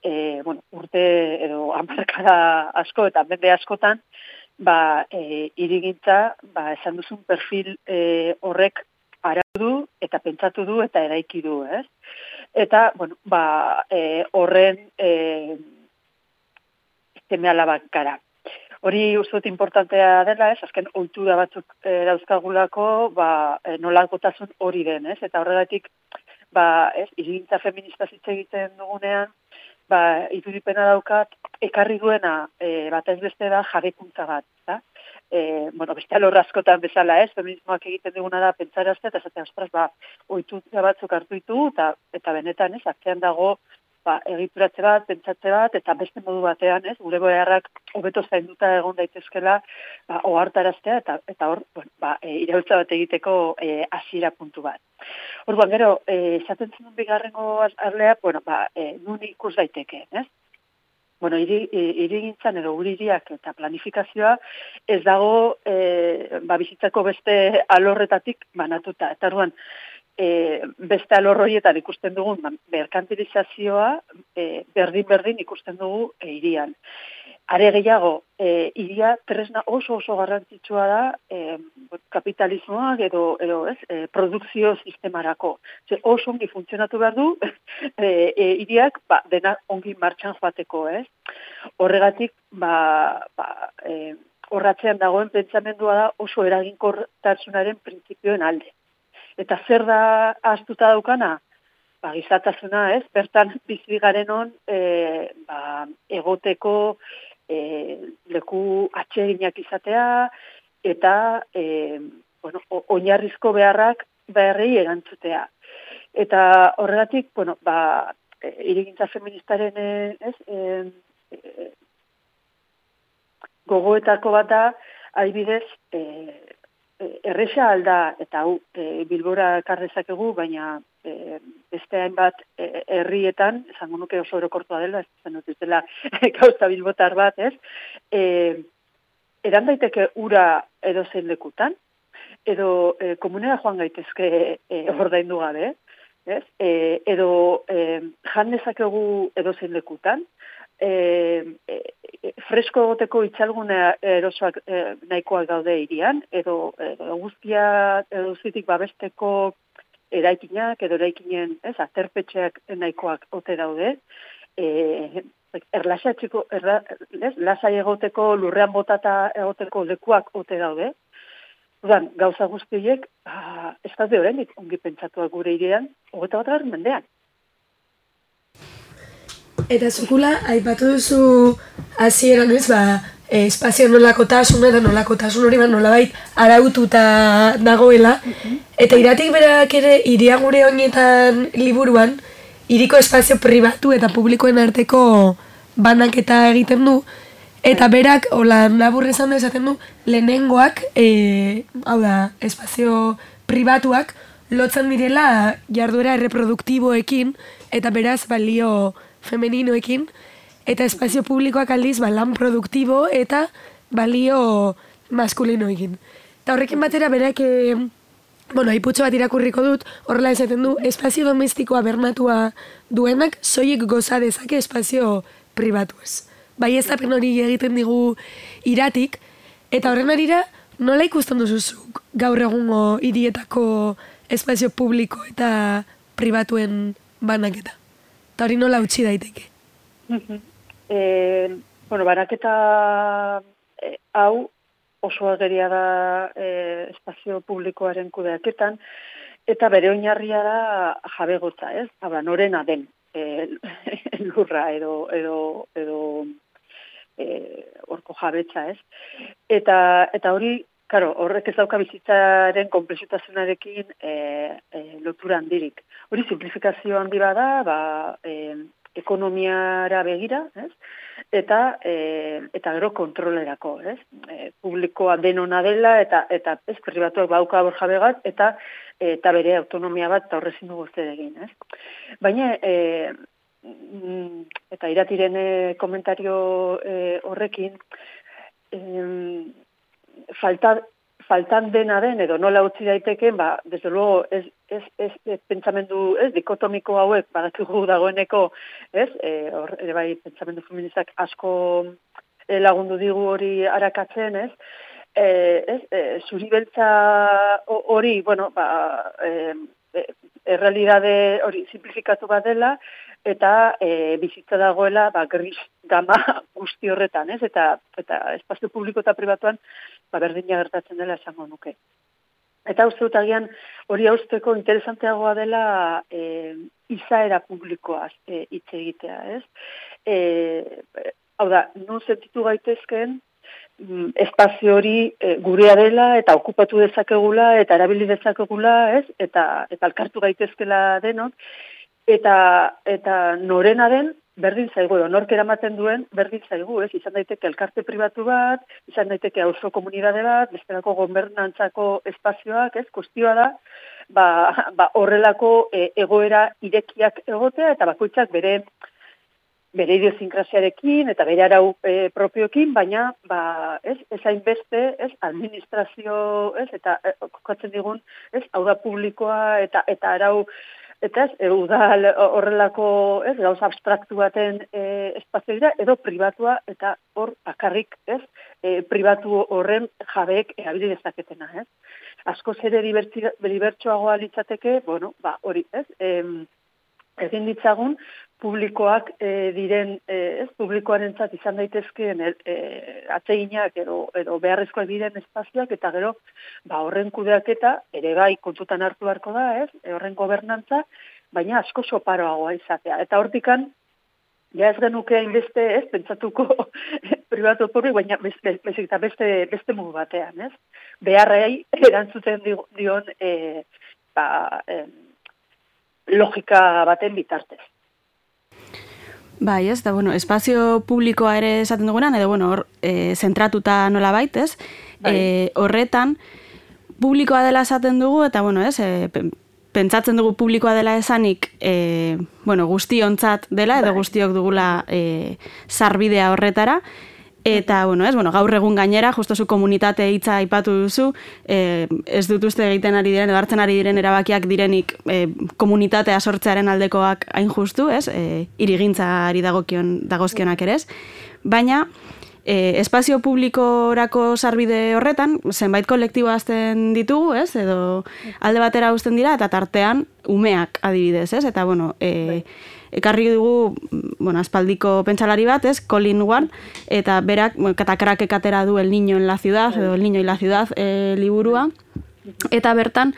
e, bueno, urte edo hamarkada asko eta mende askotan, ba, e, hirigintza, ba, esan duzun perfil e, horrek arautu du eta pentsatu du eta eraiki du, ez? Eta, bueno, ba, e, horren e, seme alabak gara. Hori uste dut importantea dela, ez? Azken ohitura batzuk e, dauzkagulako, ba, e, nolakotasun hori den, ez? Eta horregatik, ba, ez, hirigintza feminista hitz egiten dugunean, ba, irudipena daukat, ekarri duena e, batez beste da jarekuntza bat, da? E, bueno, beste alor askotan bezala, ez, feminismoak egiten duguna da pentsarazte, eta esaten, ostras, ba, ohitura batzuk hartu ditu, eta, eta benetan, ez, atzean dago, ba, egituratze bat, pentsatze bat, eta beste modu batean, ez, gure beharrak hobeto zainduta egon daitezkela, ba, ohartaraztea, eta, eta hor, bueno, ba, e, iraultza bat egiteko e, hasiera puntu bat. Orduan, gero, e, esaten zenun bigarrengo arlea, bueno, ba, e, nun ikus daiteke, ez? Bueno, hirigintzan edo gure hiriak eta planifikazioa ez dago e, ba, bizitzako beste alorretatik banatuta. Eta orduan, e, beste alor horietan ikusten dugun ba, merkantilizazioa e, berdin-berdin ikusten dugu e, hirian. Are gehiago, e, hiria tresna oso oso garrantzitsua da e, kapitalismoak edo, edo ez, e, produkzio sistemarako. Ze oso ongi funtzionatu behar du, e, e, hiriak ba, dena ongi martxan joateko, ez? Horregatik, ba, ba, e, horratzean dagoen pentsamendua da oso eraginkortasunaren printzipioen alde. Eta zer da ahaztuta daukana? Ba, gizatasuna, ez? Bertan bizi garen on, e, ba, egoteko e, leku atseginak izatea, eta e, bueno, oinarrizko beharrak beharrei erantzutea. Eta horregatik, bueno, ba, e, hirigintza feministaren ez, e, e, gogoetako bat da, adibidez, e, erresa alda, eta hau e, Bilbora karrezakegu, baina e, beste hainbat e, herrietan, esango nuke oso orokortua dela, ez zen dut dela gauza bilbotar bat, ez? E, eran daiteke ura edo zein lekutan, edo e, komunera joan gaitezke e, ordaindu gabe, ez? E, edo e, jan dezakegu edo zein lekutan, e, e, fresko egoteko itxalgune erosoak e, nahikoak daude hirian, edo, edo guztia edo zitik babesteko eraikinak, edo eraikinen, ez, aterpetxeak nahikoak ote daude, e, erlaxatxiko, erla, ez, lasai egoteko, lurrean botata egoteko lekuak ote daude. Udan, gauza guztiek, ah, ez daude horrenik ongi pentsatuak gure hirian, hogeita bat garren mendean. Eta zukula, aipatu duzu hasieran ez, ba, e, espazio nolakotasun eta nolakotasun hori ba nolabait araututa dagoela. Eta iratik berak ere hiria gure honetan liburuan, hiriko espazio pribatu eta publikoen arteko banaketa egiten du. Eta berak, hola, labur esan da esaten du, lehenengoak, e, hau da, espazio pribatuak, lotzen direla jarduera erreproduktiboekin, eta beraz balio femeninoekin, eta espazio publikoak aldiz ba, lan produktibo eta balio maskulinoekin. Eta horrekin batera berak, e, bueno, aiputxo bat irakurriko dut, horrela esaten du, espazio domestikoa bermatua duenak, soilik goza dezake espazio pribatuez. Bai ez apen hori egiten digu iratik, eta horren arira, nola ikusten duzuzuk gaur egungo hirietako espazio publiko eta pribatuen banaketa? Eta hori nola utzi daiteke? e, bueno, banaketa e, hau oso ageria da e, espazio publikoaren kudeaketan, eta bere oinarria da jabegotza, ez? Haba, norena den e, lurra edo edo edo e, orko jabetza, ez? Eta eta hori Claro, horrek ez dauka bizitzaren konplexutasunarekin e, e, lotura handirik. Hori simplifikazio handi bada, ba, e, ekonomiara begira, ez? Eta e, eta gero kontrolerako, ez? E, publikoa denona dela eta eta ez pribatuak bauka borjabegat eta eta bere autonomia bat eta horrezin dugu zer egin, ez? Baina e, eta iratiren komentario e, horrekin e, Falta, faltan dena den, edo nola utzi daiteken, ba, desde luego, ez, ez, ez, ez pentsamendu, ez, dikotomiko hauek, badakigu dagoeneko, ez, e, or, ere bai, pentsamendu feministak asko e, lagundu digu hori arakatzen, ez, e, ez, e, zuri beltza hori, bueno, ba, e, e, errealidade hori simplifikatu bat dela, eta e, bizitza dagoela, ba, gris gama guzti horretan, ez, eta, eta espazio publiko eta pribatuan, ba, berdina gertatzen dela esango nuke. Eta uste dut agian hori hausteko interesanteagoa dela e, izaera publikoaz e, hitz egitea, ez? E, hau da, nun sentitu gaitezken espazio hori e, gurea dela eta okupatu dezakegula eta erabili dezakegula, ez? Eta, eta alkartu gaitezkela denok, eta, eta norena den, berdin zaigu, nork eramaten duen, berdin zaigu, ez? Izan daiteke elkarte pribatu bat, izan daiteke auzo komunitate bat, bestelako gobernantzako espazioak, ez? Kustioa da, ba, ba horrelako e, egoera irekiak egotea, eta bakoitzak bere bere idiosincrasiarekin eta bere arau e, propioekin, baina ba, ez, ez hainbeste, ez, administrazio, ez, eta e, kokatzen digun, ez, hau da publikoa eta eta arau eta ez, udal horrelako, ez, gauza abstraktu baten e, espazio dira, edo pribatua, eta hor bakarrik, ez, e, pribatu horren jabeek erabili dezaketena, ez. Askoz ere libertsoagoa litzateke, bueno, ba, hori, ez, e, egin ditzagun, publikoak e, diren, e, ez, publikoarentzat izan daitezkeen e, atseginak edo, edo beharrezkoak diren espazioak, eta gero, ba, horren kudeaketa, ere bai kontutan hartu beharko da, ez, e, horren gobernantza, baina asko soparoagoa izatea. Eta hortikan, ja ez genuke hainbeste, ez, pentsatuko pribatu publik, baina beste, beste, beste, beste mugu batean, ez. Beharrei erantzuten dion, e, ba, e, logika baten bitartez. Bai, ez, da, bueno, espazio publikoa ere esaten dugunan, edo, bueno, hor, e, zentratuta nola baitez, bai. e, horretan, publikoa dela esaten dugu, eta, bueno, ez, e, pentsatzen dugu publikoa dela esanik, e, bueno, guztiontzat dela, edo guztiok dugula e, sarbidea horretara, eta, bueno, ez, bueno, gaur egun gainera, justo zu komunitate hitza aipatu duzu, eh, ez dut uste egiten ari diren, edo hartzen ari diren erabakiak direnik eh, komunitatea sortzearen aldekoak hain justu, ez, eh, irigintzari dagokion, dagozkionak ere ez, baina eh, espazio publikorako sarbide horretan, zenbait kolektibo azten ditugu, ez, edo alde batera uzten dira, eta tartean umeak adibidez, ez, eta, bueno, eh, ekarri dugu, bueno, aspaldiko pentsalari bat, ez, Colin Ward, eta berak, bueno, katakrak ekatera du El Niño en la Ciudad, edo El Niño y la Ciudad e, liburua, eta bertan,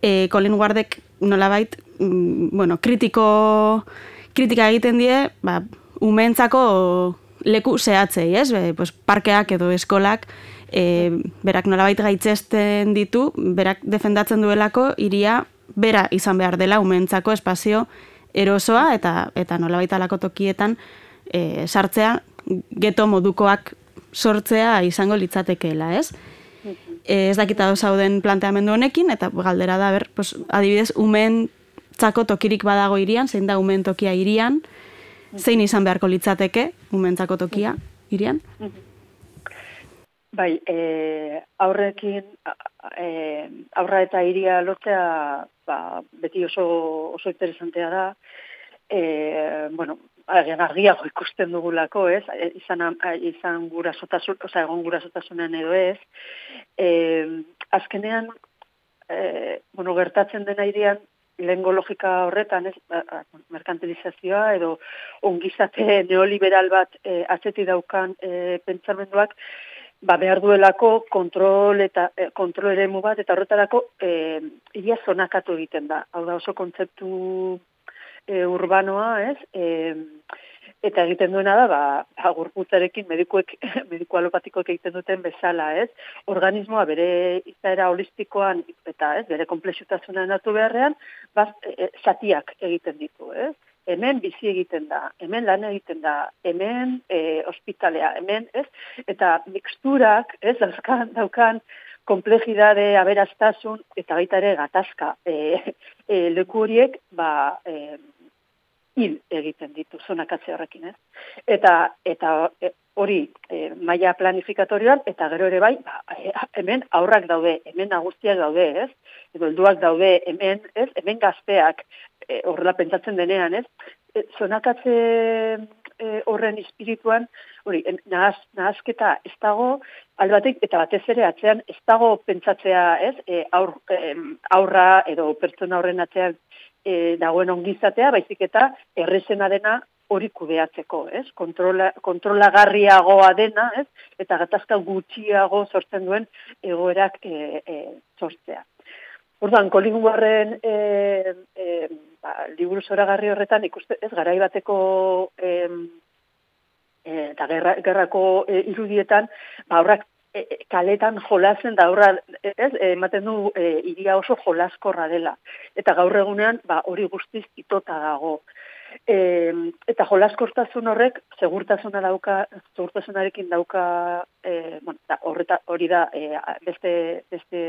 e, Colin Wardek nolabait, mm, bueno, kritiko, kritika egiten die, ba, umeentzako leku zehatzei, ez, Be, pues, parkeak edo eskolak, e, berak nolabait gaitzesten ditu, berak defendatzen duelako, iria bera izan behar dela umeentzako espazio erosoa eta eta nolabait alako tokietan e, sartzea geto modukoak sortzea izango litzatekeela, ez? E, ez dakita zauden planteamendu honekin eta galdera da ber, pues, adibidez umeentzako tokirik badago hirian, zein da umeen tokia hirian, zein izan beharko litzateke umeentzako tokia hirian? Bai, e, aurrekin e, aurra eta hiria lotzea ba, beti oso oso interesantea da. E, bueno, agian argiago ikusten dugulako, ez? Izan izan gurasotasun, osea, egon gurasotasunean edo ez. E, azkenean e, bueno, gertatzen dena hirian lehengo logika horretan, ez, merkantilizazioa edo ongizate neoliberal bat e, atzeti daukan e, pentsamenduak ba, behar duelako kontrol eta eh, kontrol eremu bat, eta horretarako eh, ia zonakatu egiten da. Hau da oso kontzeptu eh, urbanoa, ez? Eh, eta egiten duena da, ba, gorputzarekin medikuek, mediku alopatikoek egiten duten bezala, ez? Organismoa bere izaera holistikoan eta, ez, bere konplexutasuna natu beharrean, baz, e, zatiak egiten ditu, ez? Hemen bizi egiten da, hemen lan egiten da, hemen e, ospitalea, hemen, ez? Eta mixturak, ez, dauzkan, daukan, komplejidade, aberaztasun, eta baita ere gatazka. E, e, leku horiek, ba, e, hil egiten ditu, zonakatze horrekin, ez? Eta, eta e, hori e, maila planifikatorioan, eta gero ere bai, ba, e, hemen aurrak daude, hemen nagustiak daude, ez? Edo helduak daude, hemen, ez? Hemen gazteak, e, horrela pentsatzen denean, ez? E, zonakatze e, horren espirituan, hori, nahaz, nahazketa ez dago, albatek, eta batez ere atzean, ez dago pentsatzea, ez? E, aur, e, aurra edo pertsona horren atzean e, dagoen ongizatea, baizik eta errezena dena hori kudeatzeko, ez? Kontrola, kontrolagarriagoa dena, ez? Eta gatazka gutxiago sortzen duen egoerak e, e, sortzea. Orduan, Colin Warren e, e, ba, liburu zoragarri horretan ikuste, ez, garai bateko e, e, eta gerra, gerrako e, irudietan, ba, horrak e, kaletan jolazen da horra, ez, ematen du e, iria oso jolaskorra dela. Eta gaur egunean, ba, hori guztiz itota dago. E, eta jolaskortasun horrek segurtasuna dauka, segurtasunarekin dauka, e, bueno, da, horreta, hori da e, beste, beste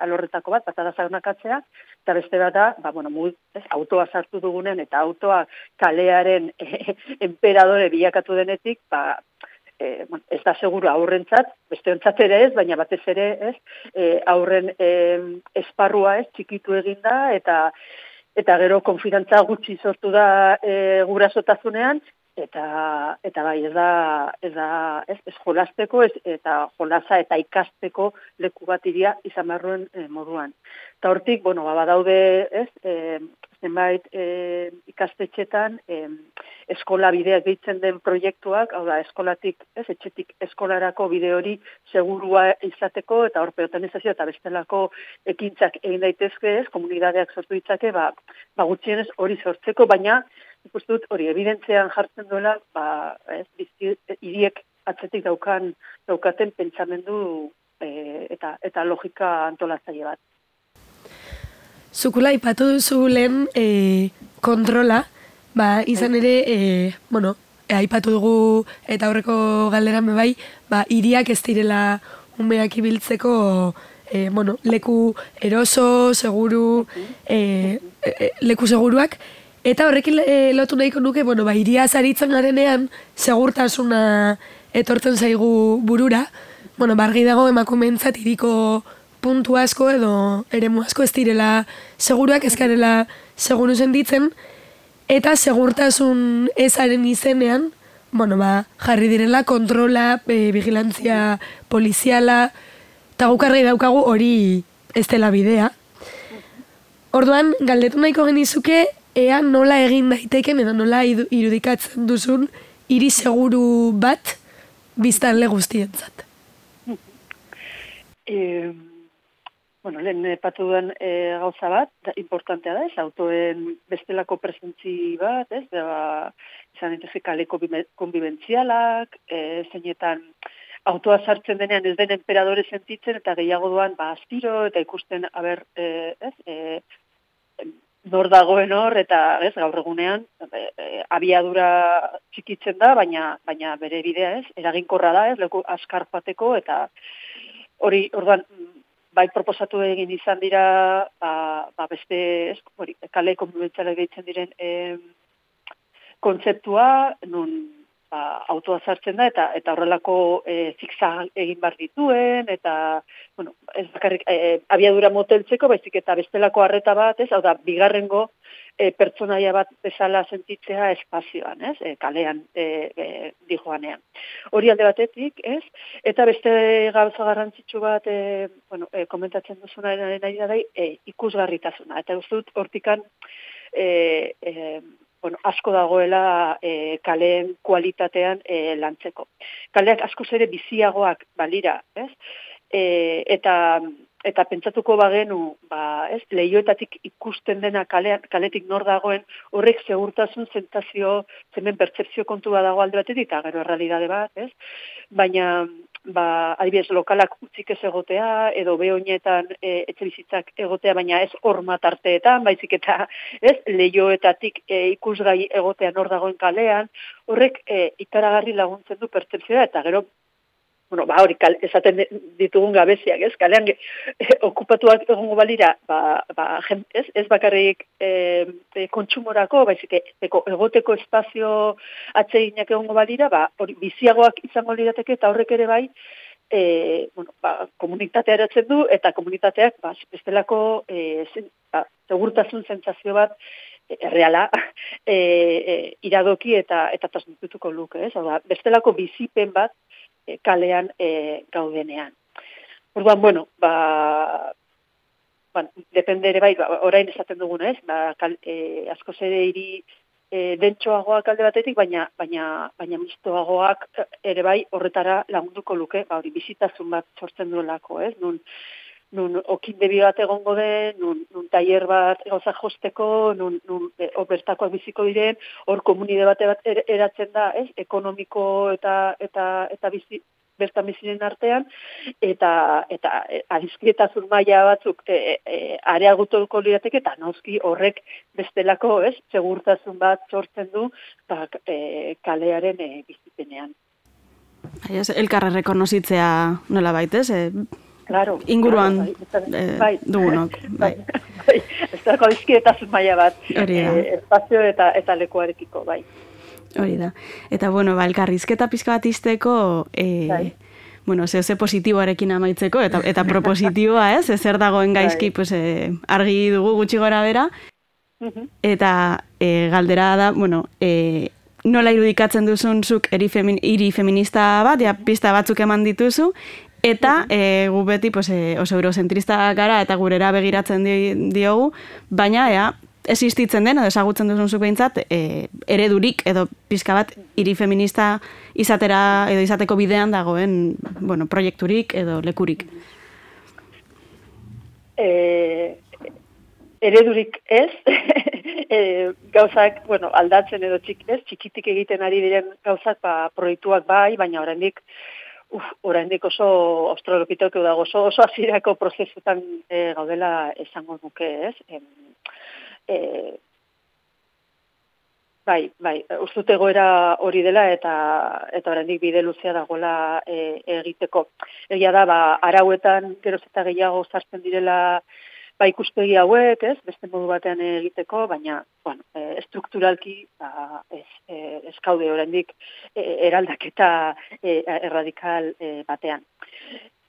alorretako bat, bat da zaunakatzea, eta beste bat da, ba, bueno, mul, ez, autoa sartu dugunen, eta autoa kalearen e, emperadore bilakatu denetik, ba, e, bueno, ez da seguru aurrentzat, beste ontzat ere ez, baina batez ere ez, e, aurren e, esparrua ez, txikitu eginda, eta eta gero konfidantza gutxi sortu da e, gurasotasunean, eta eta bai, ez da, ez da, ez, ez jolasteko, ez, eta jolasa eta ikasteko leku bat iria izan barruen e, moduan. Eta hortik, bueno, ba, badaude, ez, e, zenbait e, ikastetxetan, e, eskola bideak deitzen den proiektuak, hau da, eskolatik, ez, etxetik eskolarako bide hori segurua izateko, eta hor peotanizazio eta bestelako ekintzak egin daitezke, ez, komunidadeak sortu ditzake, ba, ba gutxienez hori sortzeko, baina ikusten dut hori evidentzean jartzen duela, ba, ez, bizi, hiriek atzetik daukan, daukaten pentsamendu e, eta, eta logika antolatzaile bat. Zukula ipatu duzu lehen e, kontrola, ba, izan ere, e, bueno, e, aipatu dugu eta aurreko galderan bebai, ba, hiriak ez direla umeak ibiltzeko, e, bueno, leku eroso, seguru, e, e, leku seguruak, eta horrekin e, lotu nahiko nuke, bueno, ba, hiria zaritzen garenean, segurtasuna etortzen zaigu burura, bueno, bargi dago emakumeentzat hiriko puntu asko edo eremu asko ez direla seguruak, ez garela seguru sentitzen, eta segurtasun ezaren izenean, bueno, ba, jarri direla kontrola, e, vigilantzia poliziala, eta gukarri daukagu hori ez dela bidea. Orduan, galdetu nahiko genizuke, ea nola egin daiteken edo nola irudikatzen duzun hiri seguru bat biztanle guztientzat. Eh, bueno, lehen epatu duen e, gauza bat, da, importantea da, ez, autoen bestelako presentzi bat, ez, da, izan daitezke kaleko konbibentzialak, e, zeinetan autoa sartzen denean ez den emperadore sentitzen, eta gehiago doan, ba, astiro, eta ikusten, haber, e, ez, e, nor dagoen hor, eta, ez, gaur egunean, e, e, abiadura txikitzen da, baina, baina bere bidea, ez, eraginkorra da, ez, leku askar joateko, eta hori, orduan, bai proposatu egin izan dira, ba, ba beste, ez, hori, kale konbibentzialak gehitzen diren e, kontzeptua, nun ba, autoa sartzen da, eta eta horrelako e, zigzag egin bar dituen, eta, bueno, ez bakarrik e, abiadura moteltzeko, baizik eta bestelako arreta bat, ez, hau da, bigarrengo e, pertsonaia bat bezala sentitzea espazioan, ez, e, kalean e, e, dijoanean. Hori alde batetik, ez, eta beste gauza garrantzitsu bat, e, bueno, e, komentatzen duzuna nahi da, e, ikusgarritasuna, eta uste dut hortikan, e, e, bueno, asko dagoela e, kaleen kualitatean e, lantzeko. Kaleak askoz ere biziagoak balira, ez? E, eta eta pentsatuko bagenu, ba, ez, lehioetatik ikusten dena kalean, kaletik nor dagoen, horrek segurtasun sentsazio, hemen pertzepzio kontu bat dago alde batetik, eta gero errealitate bat, ez? Baina, ba, adibidez, lokalak utzik ez egotea, edo behoinetan e, etxebizitzak egotea, baina ez horma tarteetan, baizik eta, ez, lehioetatik e, ikusgai egotea nor dagoen kalean, horrek e, ikaragarri laguntzen du pertzepzioa, eta gero, bueno, ba, hori, kal, esaten ditugun gabeziak, ez, kalean e, okupatuak egongo balira, ba, ba, jen, ez, ez bakarrik e, e, kontsumorako, baizik, eko, egoteko espazio atseginak egongo balira, ba, hori, biziagoak izango lirateke, eta horrek ere bai, e, bueno, ba, komunitatea eratzen du, eta komunitateak, ba, bestelako, e, zen, ba, segurtasun sentsazio bat, erreala, e, e, iradoki eta eta transmitutuko luke, ez? Hau da, bestelako bizipen bat e, kalean e, gaudenean. Orduan, bueno, ba, ba depende ere bai, ba, orain esaten duguna, ez? Ba, kal, e, askoz ere hiri e, dentsoagoak alde batetik, baina baina baina mistoagoak ere bai horretara lagunduko luke, ba hori bizitasun bat sortzen duelako, ez? Nun nun okindebi bat egongo den, nun, nun tailer bat gauza josteko, nun, nun e, bertakoak biziko diren, hor komunide bate bat er, eratzen da, ez? Ekonomiko eta eta eta bizi bertan biziren artean, eta eta adiskidetasun maila batzuk e, e, areagutuko lirateke, eta noski horrek bestelako, ez? Segurtasun bat sortzen du, ba, e, kalearen e, bizipenean. Elkarra rekonozitzea nola baitez, eh? Claro, inguruan claro, bai, eh, bai, dugunok. Bai. Bai, ez da adizkidetasun maila bat, Hori da. eh, espazio eta eta lekuarekiko, bai. Hori da. Eta, bueno, ba, elkarrizketa pizka bat izteko, eh, bai. bueno, ze ze positiboarekin amaitzeko, eta eta propositiboa, ez? Ezer dagoen gaizki, pues, eh, argi dugu gutxi gora bera, uh-huh. Eta eh, galdera da, bueno, eh, nola irudikatzen duzun zuk eri femin, iri feminista bat, ja, pista batzuk eman dituzu, eta e, gu beti pues, e, oso eurozentrista gara eta gurera begiratzen di, diogu, baina ea, existitzen den, edo ezagutzen duzun zuk behintzat, e, eredurik edo pizka bat hiri feminista izatera edo izateko bidean dagoen bueno, proiekturik edo lekurik. E, eredurik ez, e, gauzak bueno, aldatzen edo txik, ez, txikitik egiten ari diren gauzak ba, proiektuak bai, baina oraindik Uf, oraindik oso australopiteko dago, oso, oso hasierako prozesutan e, gaudela esango nuke, ez? E, e, bai, bai, ustute egoera hori dela eta eta oraindik bide luzea dagoela e, egiteko. Egia da, ba, arauetan geroz eta gehiago sartzen direla ba, ikuspegi hauek, ez, beste modu batean egiteko, baina, bueno, e, strukturalki, ba, ez, e, ez kaude oraindik e, eraldaketa e, erradikal e, batean.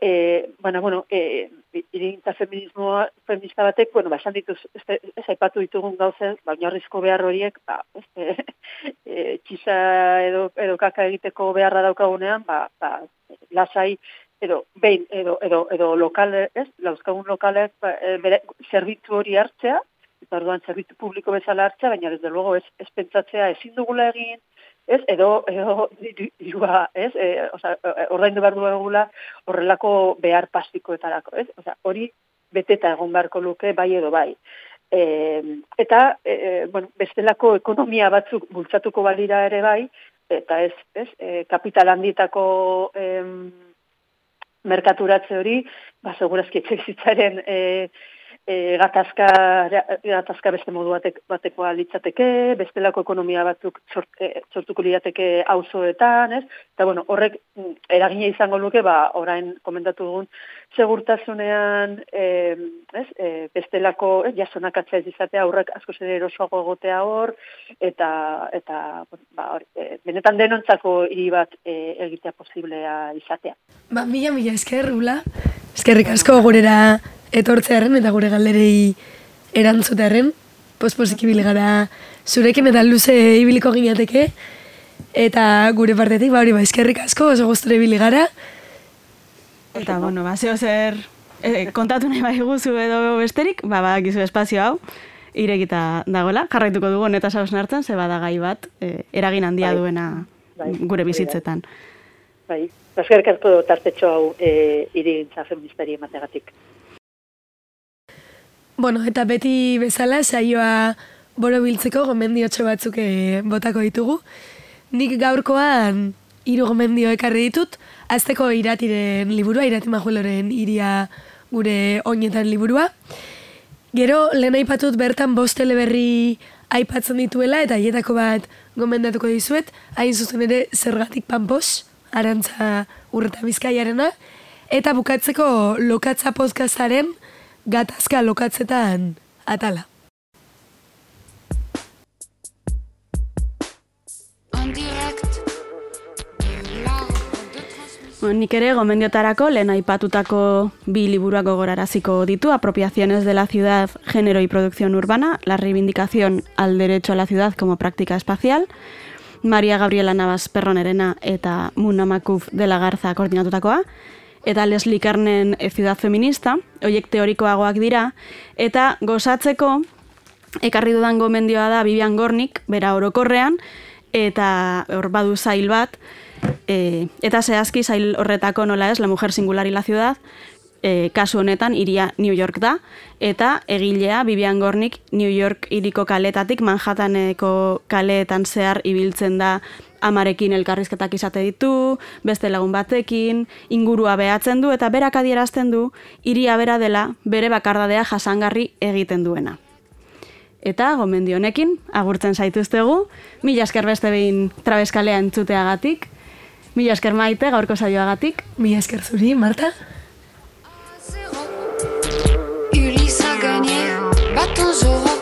E, bueno, bueno, e, irigintza feminismoa, feminista batek, bueno, ba, esan dituz, ez, ez aipatu ditugun gauzen, ba, oinarrizko behar horiek, ba, ez, e, e, txiza edo, edo kaka egiteko beharra daukagunean, ba, ba, lasai, edo behin edo edo edo lokal, ez? Lauzkagun lokalek ba, bere zerbitzu hori hartzea, eta orduan zerbitzu publiko bezala hartzea, baina desde luego ez ez pentsatzea ezin dugula egin, ez? Edo edo dirua, ez? Eh, o sea, ordaindu behar dugula horrelako behar pasikoetarako, ez? O sea, hori beteta egon beharko luke bai edo bai. E, eta e, bueno, bestelako ekonomia batzuk bultzatuko balira ere bai, eta ez, ez? E, kapital handitako em, merkaturatze hori, ba, segurazki etxebizitzaren e, e, gatazka, gatazka beste modu batek, batekoa litzateke, bestelako ekonomia batzuk sort, e, sortuko lirateke auzoetan, ez? Eta, bueno, horrek eragina izango luke, ba, orain komentatu dugun, segurtasunean, e, ez? E, bestelako, ez, jasonakatzea ez izatea, aurrak asko zer erosoago egotea hor, eta, eta ba, hor, e, benetan denontzako hiri bat e, egitea posiblea izatea. Ba, mila, mila esker, Ula. Eskerrik asko gurera etortzearen eta gure galderei erantzutearen. Pospozik ibili gara zurekin eta luze ibiliko ginateke. Eta gure partetik, ba hori, ba, eskerrik asko, oso gustura ibili gara. Eta, bueno, ba, zeo zer eh, kontatu nahi bai guzu edo besterik, ba, ba, gizu espazio hau, irekita dagoela, jarraituko dugu honetaz hausnartzen, ze bada gai bat, eh, eragin handia bai, duena bai, gure bizitzetan. Bai, eskerrik asko tartetxo hau e, irigintza feministari emategatik. Bueno, eta beti bezala saioa borobiltzeko gomendiotxo batzuk eh, botako ditugu. Nik gaurkoan hiru gomendio ekarri ditut, azteko Iratiren liburua, Irati Majueloren Iria gure oinetan liburua. Gero, lehen aipatut bertan bost eleberri aipatzen dituela, eta hietako bat gomendatuko dizuet, hain zuzen ere Zergatik Panpos, Arantza Urreta Bizkaiarena, eta bukatzeko Lokatza podcastaren Gatazka lokatzetan atala. En direct. Bueno, nik ere gomendiotarako lehen aipatutako bi liburuak gogoraraziko ditu, Apropiaciones de la ciudad, género y producción urbana, la reivindicación al derecho a la ciudad como práctica espacial, Maria Gabriela Navas Perronerena eta Muna Makuf de la Garza koordinatutakoa, eta Leslie Kernen Ciudad Feminista, horiek teorikoagoak dira, eta gozatzeko ekarri dudan gomendioa da Vivian Gornik, bera orokorrean, eta hor badu zail bat, E, eta zehazki zail horretako nola ez, La mujer singular y la ciudad, e, kasu honetan iria New York da, eta egilea Vivian Gornik New York hiriko kaletatik Manhattaneko kaleetan zehar ibiltzen da, amarekin elkarrizketak izate ditu, beste lagun batekin, ingurua behatzen du, eta berak adierazten du, hiria bera dela bere bakardadea jasangarri egiten duena. Eta gomendio honekin agurtzen zaituztegu, mila esker beste behin Trabeskalea entzuteagatik, mila esker Maite gaurko saioagatik. Mila esker zuri, Marta. Ulysse a gagné, battons au